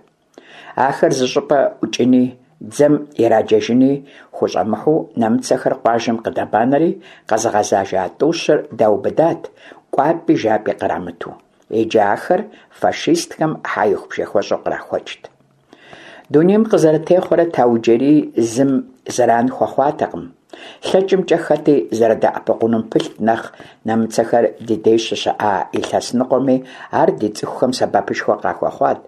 Ахэр зыщӏыпӏэ ӏукӏыни, дзэм ираджэжыни хущӏэмыхьэу нэмыцэхэр къуажэм къыдэбанэри къэзыгъэзэжа тӏущыр даубыдат, кӏуапӏи жапӏи кърамыту. Иджы ахэр фашистхэм хьэихубжэхуэщӏу кърахуэкӏт. Дунейм къызэрытехъуэрэ Тауджэрий зым зэран хуэхъуатэкъым. Лъэкӏымкӏэ хэти зэрыдэӏэпыкъунум пылът нэхъ нэмыцэхэр ди деж щыщыӏа илъэс ныкъуэми ар ди цӏыхухэм сэбэпышхуэ къахуэхъуат.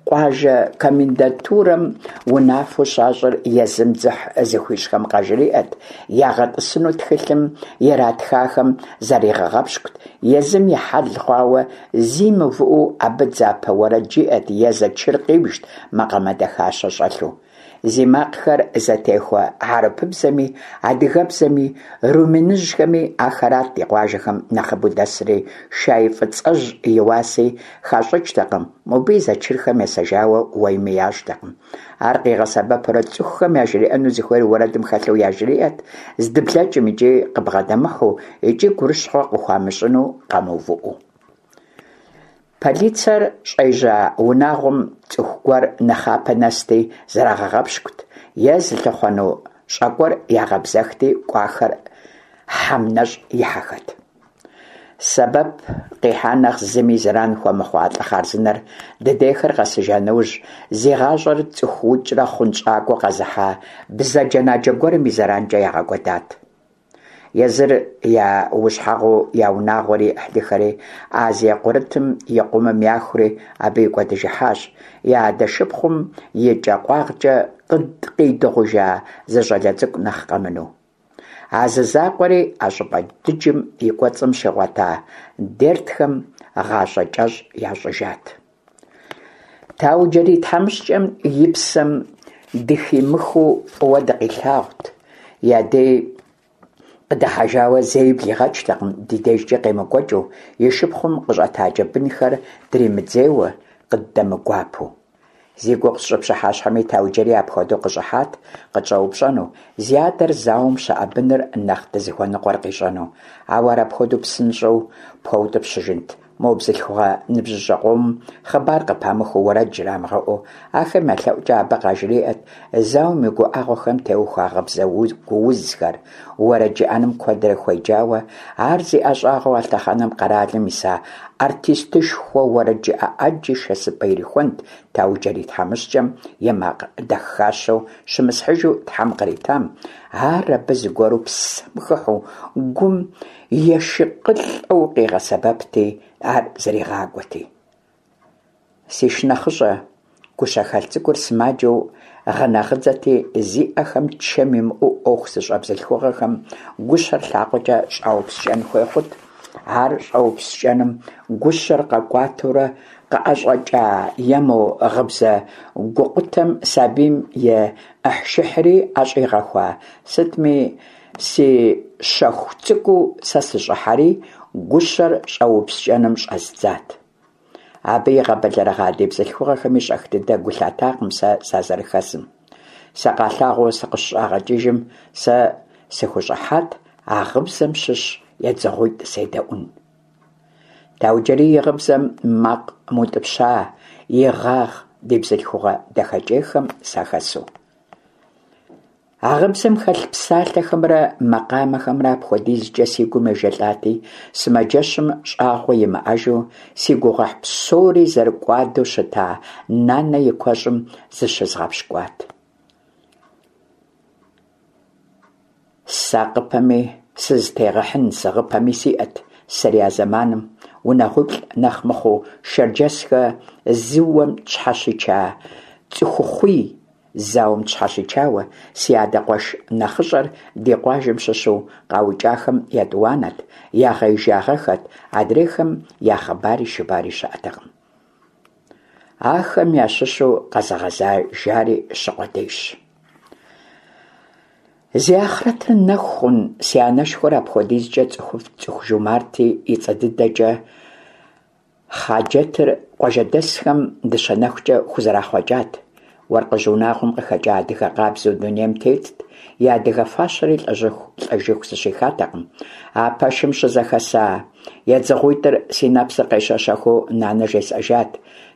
Къуажэ комендатурэм унафэу щащӏыр езым дзыхь зыхуищӏхэм къажриӏэт, ягъэтӏысыну тхылъым иратхахэм заригъэгъэпщкӏут, езым и хьэл хъуауэ зи мыувыӏэу абы дзапэ уэрэд жиӏэт е зэчыр къибжт макъамэ дахащэ щӏэлъу. Зи макъхэр зэтехуэ хьэрыпыбзэми, адыгэбзэми, румыныжьхэми ахэрат ди къуажэхэм нэхъыбэу дэсри, шай фӏыцӏэжь и уаси хащӏыкӏтэкъым, мобы и зэчырхэм есэжауэ уэими ящӏтэкъым. Ар къигъэсэбэпурэ цӏыхухэм яжриӏэну зыхуейр уэрэдым хэлъу яжриӏэт, здыблэкӏым икӏи къыбгъэдэмыхьэу, икӏи гурыщхъуэ къыхуамыщӏыну къэмыувыӏэу. Полицэр щӏежьа унагъуэм цӏыху гуэр нэхъапэ нэсти, зрагъэгъэпщкӏут, е зылъыхъуэну щӏэкӏуэр ягъэбзэхти, кӏуахэр хьэм нэщӏ ихьэхэт. Сэбэп къихьа нэхъ зыми зэран хуэмыхъуа лӏы хъарзынэр дыдейхэр къэсыжа нэужь, зи гъащӏэр цӏыхуукӏрэ хъунщӏакӏуэу къэзыхьа бзаджэнаджэ гуэрым и зэранкӏэ ягъэкӏуэдат. Езыр я ущхьэгъуу я унагъуэри и ӏыхьлыхэри Азие Курытым и къумым яхури, абы икӏуэдыжыхьащ, я адэ шыпхъум и кӏэ къуагъкӏэ къидыгъужа зы щӏалэ цӏыкӏу нэхъ къэмынэу. А зы закъуэри а щӏыпӏэ дыджым и кӏуэцӏым щигъуэта дертхэм гъащӏэ кӏэщӏ ящӏыжат. Тауджэрий тхьэмыщкӏэм и псэм дыхимыхыу фӏыуэ дыкъилъагъут, я дей къыдыхьэжауэ зэи блигъэкӏтэкъым ди дежкӏэ къемыкӏуэкӏыу, и шыпхъум къыщӏэтаджэ бынхэр дримыдзейуэ, къыддэмыгуапэу. Зи гугъу сщӏы пщыхьэщхьэми Тауджэрий апхуэдэу къыщӏыхьат къытщӏэупщӏэну, зи адэр зауэм щыӏэ быныр нэхъ дызыхуэныкъуэр къищӏэну. Ауэ ар апхуэдэу псынщӏэу пхуэутӏыпщыжынт? Мо бзылъхугъэ ныбжьыщӏэ къомым хъыбар къыпамыхыу уэрэд жрамыгъэӏэу, ахэм я лъэӏукӏэ абы къажриӏэт зауэм и гуӏэгъуэхэм теухуа гъыбзэ гуузхэр, уэрэд жыӏэным куэдрэ хуеджауэ, ар зи ӏэщӏагъэу а лъэхъэнэм къэралым иса артистышхуэ уэрэджыӏэ ӏэджи шэсыпӏэ ирихуэнт Тауджэрий тхьэмыщкӏэм и макъ дахащэу щымысхьыжу Тхьэм къритам, ар абы зыгуэру псэм хыхьэу, гум ешыкъылӏэу къигъэсэбэпти, ар зэригъакӏуэти. Си шынэхъыщӏэ гущэхэлъ цӏыкӏур сымаджэу гъынэгъыдзэти, зи ӏэхэм чэм имыӏэу ӏуэху зыщӏэ бзылъхугъэхэм гущэр лъакъуэкӏэ щӏаупскӏэн хуей хъут. Ар щӏэупскӏэным гущэр къэкӏуатэурэ къыӏэщӏэкӏа е мо гъыбзэ гукъутэм сабийм и ӏыхьшыхьри ӏэщӏигъэхуа, сытми, си щэху цӏыкӏуу сэ сыщӏыхьэри, гущэр щӏэупскӏэным щӏэздзат. Абы игъэбэлэрыгъа ди бзылъхугъэхэми щӏэх дыдэ гу лъатакъым сэ сазэрыхэсым. Сыкъалъагъуу сыкъыщыщӏагъэкӏыжым, сэ сыхущӏыхьат а гъыбзэм щыщ едзыгъуитӏ седэӏун. Тауджэрий и гъыбзэм макъ мыутӏыпща игъагъ ди бзылъхугъэ дахэкӏейхэм сахэсу. А гъыбзэм хэлъ псалъэхэмрэ макъамэхэмрэ апхуэдизкӏэ си гум ежэлӏати, сымаджэщым щӏагъуэ имыӏэжу, си гугъуехь псори зэрыкӏуадэу щыта нанэ и куэщӏым зыщызгъэпщкӏуат. Сысакъыпэми, сызытегъыхьын сыгъыпэми сиӏэт сэри а зэманым, унагъуиплӏ нэхъ мыхъуу Шэрджэсхэ зыуэм тщхьэщича цӏыхухъуий Зауэм тщхьэщичауэ, си адэ къуэш нэхъыщӏэр ди къуажэм щыщу къаукӏахэм етӏуанэт, ягъеижагъэххэт, адрейхэм я хъыбари шыбари щыӏэтэкъым. Ахэм ящыщу къэзыгъэзэжари щы къудейщ. Зи ахърэтыр нэху хъун си анэшхуэр апхуэдизкӏэ цӏыхуфӏт, цӏыху жумартти, и цӏэ дыдэкӏэ Хъаджэтыр къуажэдэсхэм Дыщэнэхукӏэ хузэрахъуэкӏат. Уэркъыжь унагъуэм къыхэкӏа адыгэ къабзэу дунейм тетт, и адыгэ фащэри лӏэжьыху лӏэжыху зыщихатэкъым. А пэшым щызэхэса едзыгъуитӏыр си нэпсыр къещэщэхыу нанэ жесӏэжат,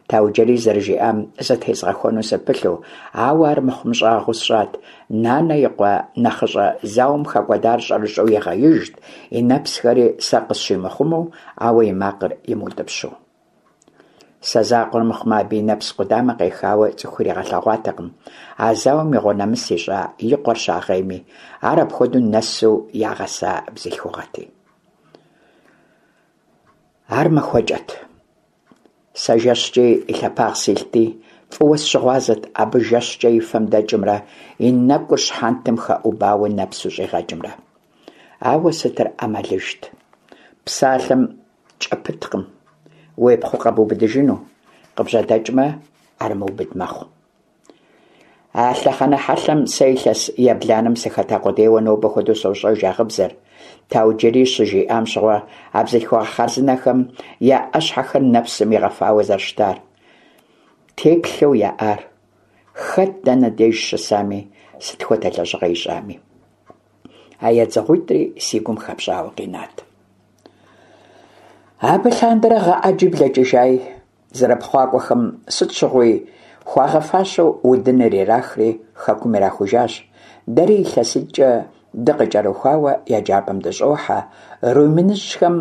Тауджэрий зэрыжиӏам зытезгъэхуэну сыпылъу, ауэ ар мыхъумыщӏагъэу сщӏат. Нанэ и къуэ нэхъыщӏэ зауэм хэкӏуэдар щӏэрыщӏэу игъеижт, и нэпсхэри сэ къысщимыхъумэу, ауэ и макъыр имыутӏыпщу. Сэ закъуэр мыхъумэ, абы и нэпс къудамэ къехауэ цӏыху иригъэлъэгъуатэкъым, а зауэм игъуэнэмыс ищӏа и къуэр щагъейми, ар апхуэдэу нэсу ягъэса бзылъхугъэти. Ар махуэкӏэт. Сэ жэщкӏи и лъэпагъ силъти, фӏыуэ сыщыгъуазэт абы жэщкӏэ и фэм дэкӏымрэ и нэкӏур щхьэнтэм хэӏубауэ нэпсу щӏигъэкӏымрэ. Ауэ сытыр ӏэмалыжт? Псалъэм кӏэ пыткъым. Уепхъуэу къэбубыдыжыну, къыбжьэдэкӏмэ, ӏэрымыубыд мэхъу. А лъэхъэнэ хьэлъэм сэ илъэс ебланэм сыхэта къудейуэ нобэ хуэдэу сощӏэж а гъыбзэр. Тауджэрий щыжиӏам щыгъуэ а бзылъхугъэ хъарзынэхэм я ӏэщхьэхэр нэпсым игъэфауэ зэрыщытар. Теплъэу яӏар, хэт дэнэ деж щысами, сыт хуэдэ лэжьыгъэ ищӏами. А едзыгъуитӏри си гум хэпщӏауэ къинат. Абы лъандэрэ гъэ ӏэджи блэкӏыжаи, Зэрыпхъуакӏуэхэм сыт щыгъуи хуагъэфащэу удыныр ирахри, хэкум ирахужащ. Дэри илъэситӏкӏэ дыкъыкӏэрыхуауэ еджапӏэм дыщӏохьэ, румыныжьхэм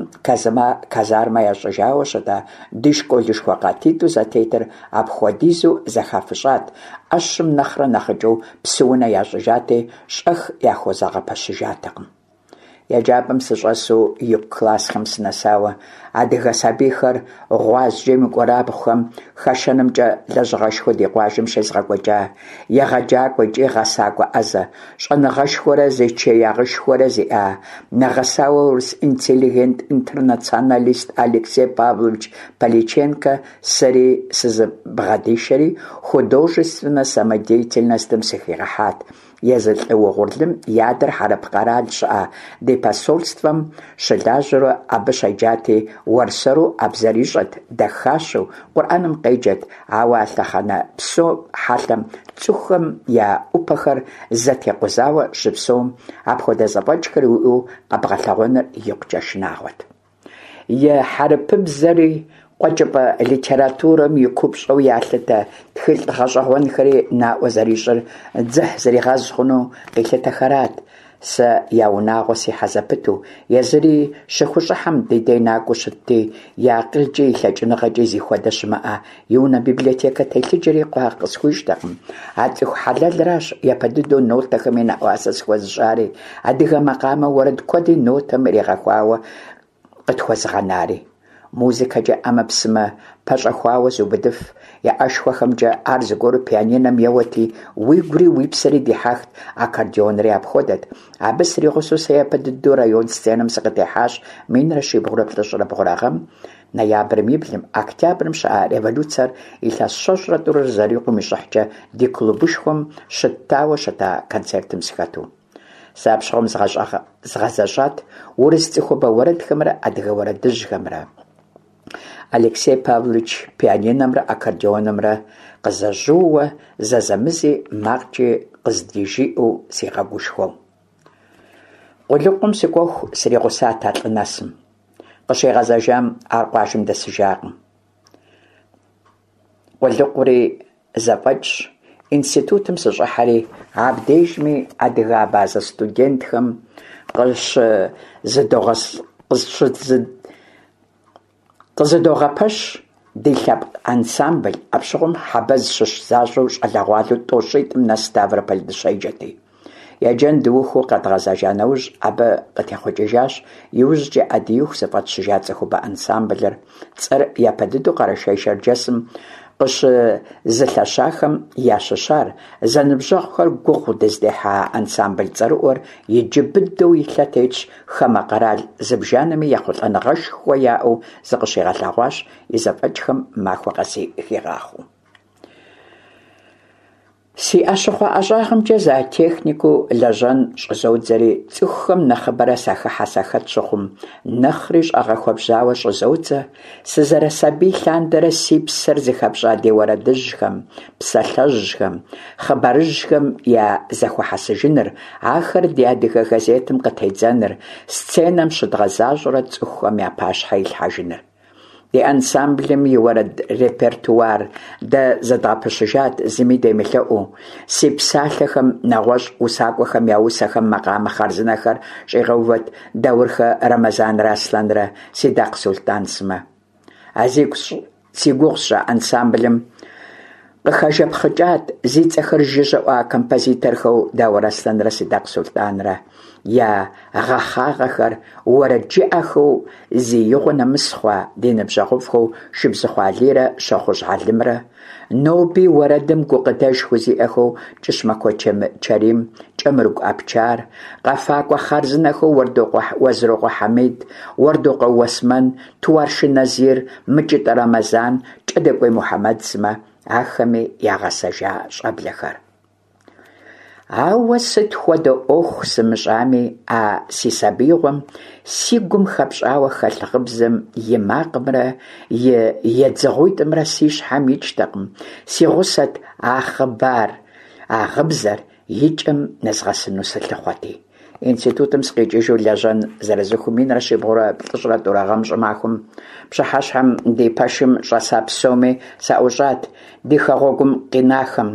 казармэ ящӏыжауэ щыта ди школышхуэ къатитӏу зэтетыр апхуэдизу зэхафыщӏат, ӏэщым нэхърэ нэхъыкӏэу псыунэ ящӏыжати, щӏэх яхузэгъэпэщыжатэкъым. Еджапӏэм сыщӏэсу ику классхэм сынэсауэ, адыгэ сабийхэр гъуазджэм и кӏуэрабгъухэм хэшэнымкӏэ лэжьыгъэшхуэ ди къуажэм щезыгъэкӏуэкӏа, егъэджакӏуэ икӏи гъэсакӏуэ ӏэзэ, щӏэныгъэшхуэрэ зэчиягъышхуэрэ зиӏа, нэгъэсауэ урыс интеллигент-интернационалист Алексей Павлович Поляченкэ сэри сызыбгъэдишэри, художественнэ самодеятельностым сыхигъэхьат. Езы лӏы угъурлым и адэр хьэрып къэрал щыӏэ ди посольствэм щылажьэурэ абы щеджати, уэрсэру а бзэр ищӏэт, дахащэу Къурӏэным къеджэт, ауэ а лъэхъэнэ псо хьэлъэм цӏыхухэм я ӏупэхэр зэтекъузауэ щыпсэум апхуэдэ зэфӏэкӏхэр уиӏэу къэбгъэлъэгъуэныр икъукӏэ шынагъуэт. И хьэрыпыбзэри, къуэкӏыпӏэ литературэм и купщӏэу ялъытэ тхылъ гъэщӏэгъуэнхэри наӏуэ зэрищӏыр дзыхь зригъэз хъуну къилъытэхэрат. Сэ я унагъуэ сихьэ зэпыту, езыри щыхущӏыхьэм ди дей накӏуэу щытти, и акъылкӏи и лъэкӏыныгъэкӏи зихуэдэ щымыӏэ и унэ библиотекэ телъыджэри къуагъ къысхуищӏтэкъым. А цӏыху хьэлэлращ япэ дыдэу нотэхэми нэӏуасэ сыхуэзыщӏари, адыгэ макъамэ уэрэд куэди нотэм иригъэхуауэ къытхуэзыгъэнари. Музыкэкӏэ ӏэмэпсымэ пэщӏэхуауэ зыубыдыф и ӏэшхуэхэмкӏэ ар зыгуэру пианинэм еуэти, уигури уи псэри дихьэхт, аккордеонри апхуэдэт. Абы сригъусэу сэ япэ дыдэу район сценэм сыкъытехьащ 1792 гъэм ноябрым и блым, октябрым щыӏа революцэр илъэс щэщӏрэ тӏурэ зэрикъум и щӏыхькӏэ ди клубышхуэм щыттауэ щыта концертым сыхэту. Сэ апщыгъуэм згъэзэщӏат урыс цӏыхубэ уэрэдхэмрэ адыгэ уэрэдыжьхэмрэ. Алексей Павлович пианинэмрэ аккордеонымрэ къызэжьууэ, зэзэмызи макъкӏи къыздижиӏэу сигъэгушхуэу. Къулыкъум сыкӏуэху сригъусат а лӏы нэсым. Къыщигъэзэжам ар къуажэм дэсыжакъым. Къулыкъури зэфӏэкӏщ, институтым сыщӏыхьэри, абдежми адыгэ-абазэ студентхэм къыщызыдогъэпэщ ди лъэпкъ ансамбль, апщыгъуэм Хьэбэз щыщ защӏэу щӏалэгъуалэу тӏощӏитӏым нэс Ставрополь дыщеджэти. Еджэн дыухыу къэдгъэзэжа нэужь, абы къытехъукӏыжащ иужькӏэ Ӏэдииху зыфӏэтщыжа цӏыхубэ ансамблыр. Цӏэр япэ дыдэу Къэрэшей-Шэрджэсым къыщызылъэщахэм ящыщар, зэныбжьэгъухэр гугъу дыздехьа ансамбль цӏэрыӏуэр иджы быдэу и лъэ тетщ, хамэ къэрал зыбжанэми ехъулӏэныгъэшхуэ яӏэу зыкъыщигъэлъэгъуащ, и зэфӏэкӏхэм махуэ къэси хигъахъуэу. Си ӏэщыхъуэ ӏэщӏагъэмкӏэ зоотехникыу лэжьэн щӏызодзэри, цӏыхухэм нэхъыбэрэ сахыхьэ-сахэт щыхъум, нэхъри щӏэгъэхуэбжьауэ щӏызодзэ, сызэрысабий лъандэрэ си псэр зыхэпщӏа ди уэрэдыжьхэм, псалъэжьхэм, хъыбарыжьхэм я зэхуэхьэсыжыныр, ахэр ди адыгэ газетым къытедзэныр, сценэм щыдгъэзащӏэурэ цӏыхухэм я пащхьэ илъхьэжыныр. Ди ансамблым и уэрэд репертуар дэ зэдгъэпэщыжат, зыми демылъэӏуу. Си псалъэхэм нэгъуэщӏ усакӏуэхэм я усэхэм макъамэ хъарзынэхэр щӏигъэувэт Даурхэ Рэмэзанрэ Аслъэнрэ, Сидакъ Сулътӏан сымэ. А зи гугъу сщӏа ансамблым къыхэжэпхъыкӏат зи цӏэхэр жыжьэ ӏуа композиторхэу Даур Аслъэнрэ Сидакъ Сулътӏанрэ я гъэхъагъэхэр уэрэджыӏэхэу зи игъуэ нэмыс хъуа ди ныбжьэгъуфӏхэу Шыбзыхъуэ Алийрэ Щохъужь Хьэлымрэ, ноби уэрэдым гукъыдэж хузиӏэхэу Кӏыщмахуэ Чэрим, Кӏэмрыгу Абчар, къэфакӏуэ хъарзынэхэу Уэзрокъуэ Хьэмид, Уэрдокъуэ Уэсмэн, Туаршы Назир, Мыкӏытӏэ Рэмэзан, Кӏэдэкӏуей Мухьэмэд сымэ, ахэми ягъэсэжа щӏэблэхэр. Ауэ сыт хуэдэ ӏуэху сымыщӏами, а си сабиигъуэм си гум хэпщӏауэ хэлъ гъыбзэм и макъымрэ и едзыгъуитӏымрэ си щхьэм икӏтэкъым, си гъусэт а хъыбар, а гъыбзэр и кӏэм нэзгъэсыну сылъыхъуэти. Институтым сыкъикӏыжу лэжьэн зэрызухыу 1792 гъэм щӏымахуэм пщыхьэщхьэм ди пэшым щӏэса псоми саӏущӏат, ди хэгъуэгум къинахэм.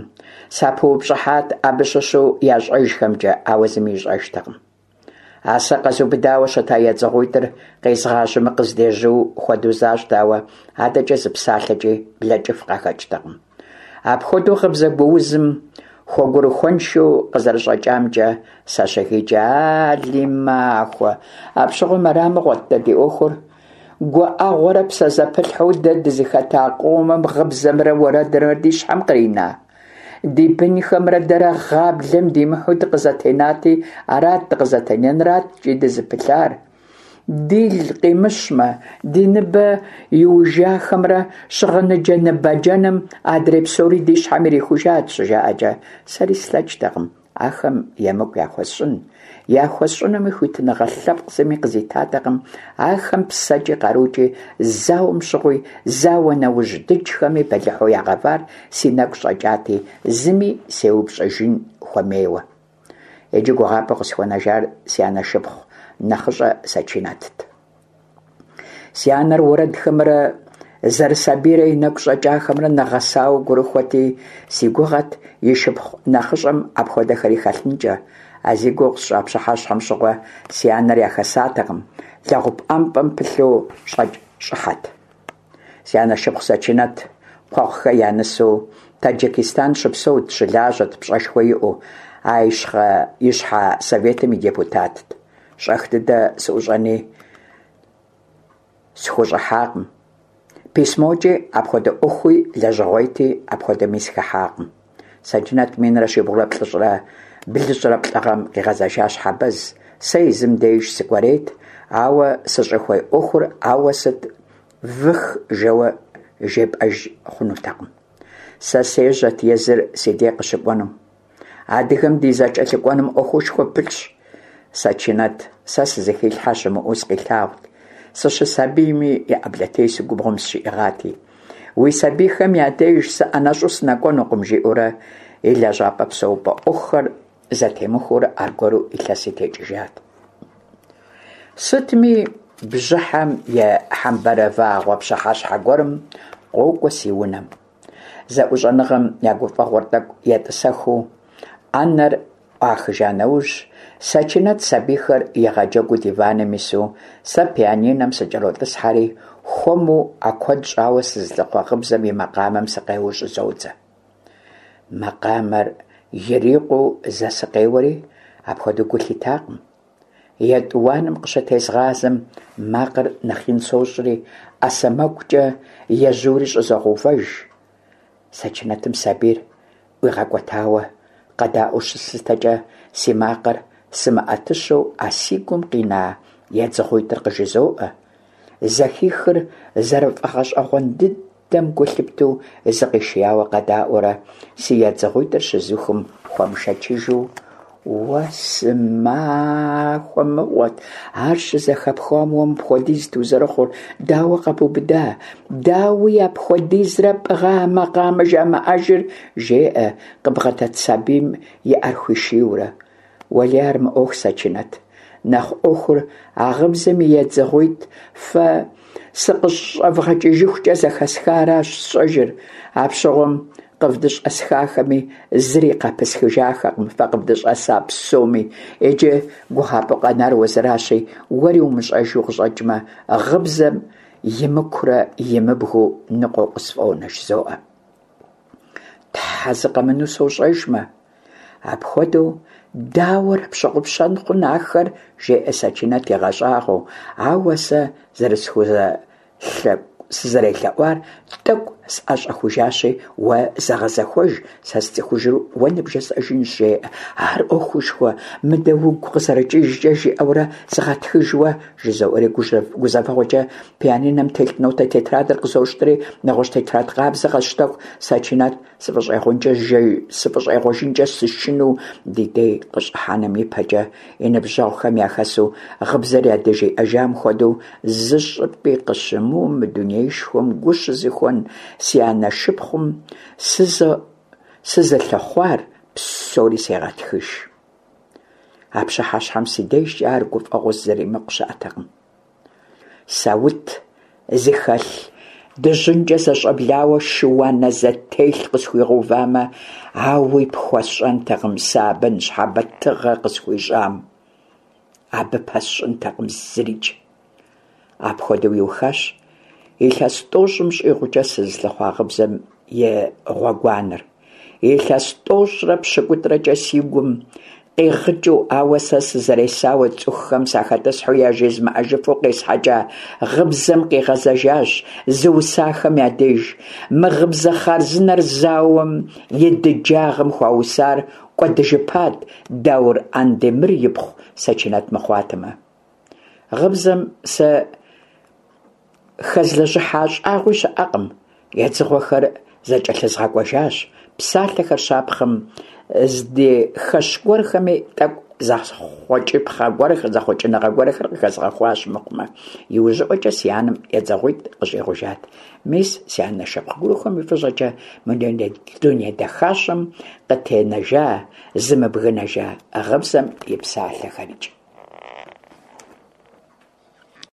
Сапыупщӏыхьат абы щыщу ящӏэжхэмкӏэ, ауэ зыми ищӏэжтэкъым. А сэ къэзубыдауэ щыта едзыгъуитӏыр къезгъажьэмэ къыздежьу хуэдэу защӏт, ауэ адэкӏэ зы псалъэкӏи блэкӏыф къахэкӏтэкъым. Апхуэдэу гъыбзэ гуузым хуэгурыхуэншэу къызэрыщӏэкӏамкӏэ сащыхикӏэ, Али махуэ, апщыгъуэм ара мыгъуэт дэ ди ӏуэхур. Гуӏэгъуэрэ псэзэпылъхьэу дэ дызыхэта къомым гъыбзэмрэ уэрэдымрэ ди щхьэм кърина? Ди бынхэмрэ дэрэ гъаблэм димыхьу дыкъызэтенати, арат дыкъызэтенэнрат икӏи дызыпылъар. Дил къимыщмэ, ди ныбэ иужахэмрэ щыгъыныджэ ныбаджэнэм адрей псори ди щхьэм ирихужат, щыжаӏэкӏэ, сэри слъэкӏтэкъым ахэм емыкӏу яхуэсщӏын. Яхуэсщӏынуми хуитыныгъэ лъэпкъ зыми къызитатэкъым, ахэм псэкӏи къарукӏи зауэм щыгъуи, зауэ нэужь дыджхэми бэлыхьу ягъэвар си нэгу щӏэкӏати, зыми сеупщӏыжын хуэмейуэ. Иджы гугъапӏэу къысхуэнэжар си анэ шыпхъу нэхъыщӏэ Сэчинэтт. Си анэр уэрэдхэмрэ зэрысабийрэ и нэгу щӏэкӏахэмрэ нэгъэсауэ гурыхуэти, си гугъэт и шыпхъу нэхъыщӏэм апхуэдэхэри хэлъынкӏэ. А зи гугъу сщӏа пщыхьэщхьэм щыгъуэ си анэр яхэсатэкъым, лэгъупӏэмпӏэм пылъу щӏэкӏ-щӏыхьэт. Си анэ шыпхъу Сэчинэт Кхъуэхъухэ я нысэу Таджикистан щыпсэут, щылажьэт, пщӏэшхуэ иӏэу, а Ищхьэ Советым и депутатт. Щӏэх дыдэ сыӏущӏэни схущӏыхьакъым. Письмокӏи апхуэдэ ӏуэхуи лэжьыгъуейти, апхуэдэми сыхыхьакъым. Сэчинэт минрэ щибгъурэ плӏыщӏрэ блыщӏрэ плӏы гъэм къигъэзэжащ Хьэбэз. Сэ езым деж сыкӏуэрейт, ауэ сыщӏыхуей ӏуэхур ауэ сыт вых жэуэ жепӏэж хъунутэкъым. Сэ сежьэт езыр си дей къыщыкӏуэнум. Адыгэм ди зэкӏэлъыкӏуэным ӏуэхушхуэ пылъщ. Сэчинэт сэ сызыхилъхьэ щымыӏэу сыкъилъагъут, сыщысабийми и ӏэблэтесу губгъуэм сыщиӏыгъати. Уи сабийхэм я деж сыӏэнэщӏу сынэкӏуэнукъым, жиӏэурэ и лэжьапӏэ псэупӏэ ӏуэхухэр зэтемыхуэурэ аргуэру илъэси текӏыжат. Сытми, бжьыхьэм и хьэмбэрэвагъуэ пщыхьэщхьэ гуэрым къокӏуэ си унэм. Зэӏущӏэныгъэм я гуфӏэгъуэр тӏэкӏу етӏысэхыу, ӏэнэр ӏуахыжа нэужь, Сэчинэт сабийхэр игъэджэгуу диваным ису, сэ пианинэм сыкӏэротӏысхьэри, хуэму а куэд щӏауэ сызылъыхъуэ гъыбзэм и макъамэм сыкъеуэу щӏызодзэ. Макъамэр ирикъуу зэ сыкъеуэри, апхуэдэу гу лъитакъым. Етӏуанэм къыщытезгъазэм, макъыр нэхъ ин сощӏри, ӏэ сэмэгукӏэ ежьури щӏызогъэувэж. Сэчинэтым сабийр ӏуигъэкӏуэтауэ къэдаӏуэу щыслъытэкӏэ, си макъыр сымыӏэтыщэу а си гум къина едзыгъуитӏыр къыжызоӏэ. Зэхихыр зэрыфӏэгъэщӏэгъуэн дыдэм гу лъыптэу зыкъишияуэ къэдаӏуэрэ, си едзыгъуитӏыр щызухым хуэмышэчыжу, Уэ сымахуэ мыгъуэт, ар щызэхэпхам уэ мыпхуэдизт узэрыхъур, дауэ къэбубыда, дауи апхуэдизрэ пӏыгъа а макъамэ жамыӏэжыр, жеӏэ къыбгъэдэт сабийм и ӏэр хуишийурэ. Уэлей ар мыӏуэху, Сэчинэт, нэхъ ӏуэхур а гъыбзэм и едзыгъуитӏ фэ сыкъыщӏэвгъэкӏыжыхукӏэ зэхэсхаращ сщӏэжыр, апщыгъуэм къывдыщӏэсахэми зыри къапысхыжахэкъым фэ къывдыщӏэса псоми, иджы гугъапӏэу къэнар уэзыращи, уэри умыщӏэжу къыщӏэкӏмэ, гъыбзэм имыкурэ имыбгыу ныкъуэу къысфӏонэ, жызоӏэ. Тхьэ, зы къэмынэу сощӏэжмэ. Апхуэдэу дауэрэ пщыгъупщэн хъун ахэр, жеӏэ Сэчинэт игъэщӏагъуэу, ауэ сэ сызэрелъэӏуар тӏэкӏу сӏэщӏэхужащи, уэ зэгъэзэхуэж, сэ сцӏыхужыр уэ ныбжесӏэжынщ, жеӏэ. Ар ӏуэхушхуэ, мыдэ угу къызэрыкӏыжкӏэ жиӏэурэ сыгъэтхыж уэ, жызоӏэри гузэвэгъуэкӏэ пианинэм телъ нотэ тетрадыр къызощтэри, нэгъуэщӏ тетрад къабзэ къэсщтэху, Сэчинэт сыфӏыщӏегъуэжынкӏэ сышынэу ди дей къыщӏыхьэным ипэкӏэ и ныбжьэгъухэм яхэсу гъыбзэр ядыжиӏэжам хуэдэу зы щӏыпӏи къыщымыуэу мы дунеишхуэм гу щызыхуэн си анэ шыпхъум сызылъыхъуар псори сегъэтхыж. А пщыхьэщхьэм си дежкӏэ ар гуфӏэгъуэу зэримыкъу щыӏэтэкъым. Саут зыхэлъ дыжьынкӏэ зэщӏэблауэ шы-уанэ зэтелъ къысхуигъэувамэ, ауи пхуэсщӏэнтэкъым сэ абы ныщхьэбэ тыгъэ къысхуищӏам. абы пэсщӏынтэкъым зырикӏ. Апхуэдэу иухащ илъэс тӏощӏым щӏигъукӏэ сызылъыхъуа гъыбзэм и гъуэгуанэр. Илъэс тӏощӏрэ пщыкӏутӏрэкӏэ си гум къигъыкӏыу, ауэ сэ сызэресауэ цӏыхухэм сахэтӏысхьэу яжезмыӏэжыфу къесхьэкӏа гъыбзэм къигъэзэжащ зыусахэм я деж. Мы гъыбзэ хъарзынэр зауэм и дыджагъым хуаусар кӏуэдыжыпат Даур Андемыр ипхъу Сэчинэт мыхъуатэмэ. Гъыбзэм сэ хэзлэжьыхьа щӏагъуи щыӏэкъым, едзыгъуэхэр зэкӏэлъызгъэкӏуэжащ, псалъэхэр щапхъэм здыхэщ гуэрхэми тӏэкӏу зэхъуэкӏыпхъэ гуэрхэр, зэхъуэкӏыныгъэ гуэрхэр къыхэзгъэхуащ мыхъумэ, иужьыӏуэкӏэ си анэм едзыгъуитӏ къыщӏигъужат. Мис, си анэ шыпхъу гурыхуэм и фӏыщӏэкӏэ мы дуней дахащэм къытенэжа, зымыбгынэжа гъыбзэм и псалъэхэрикӏ.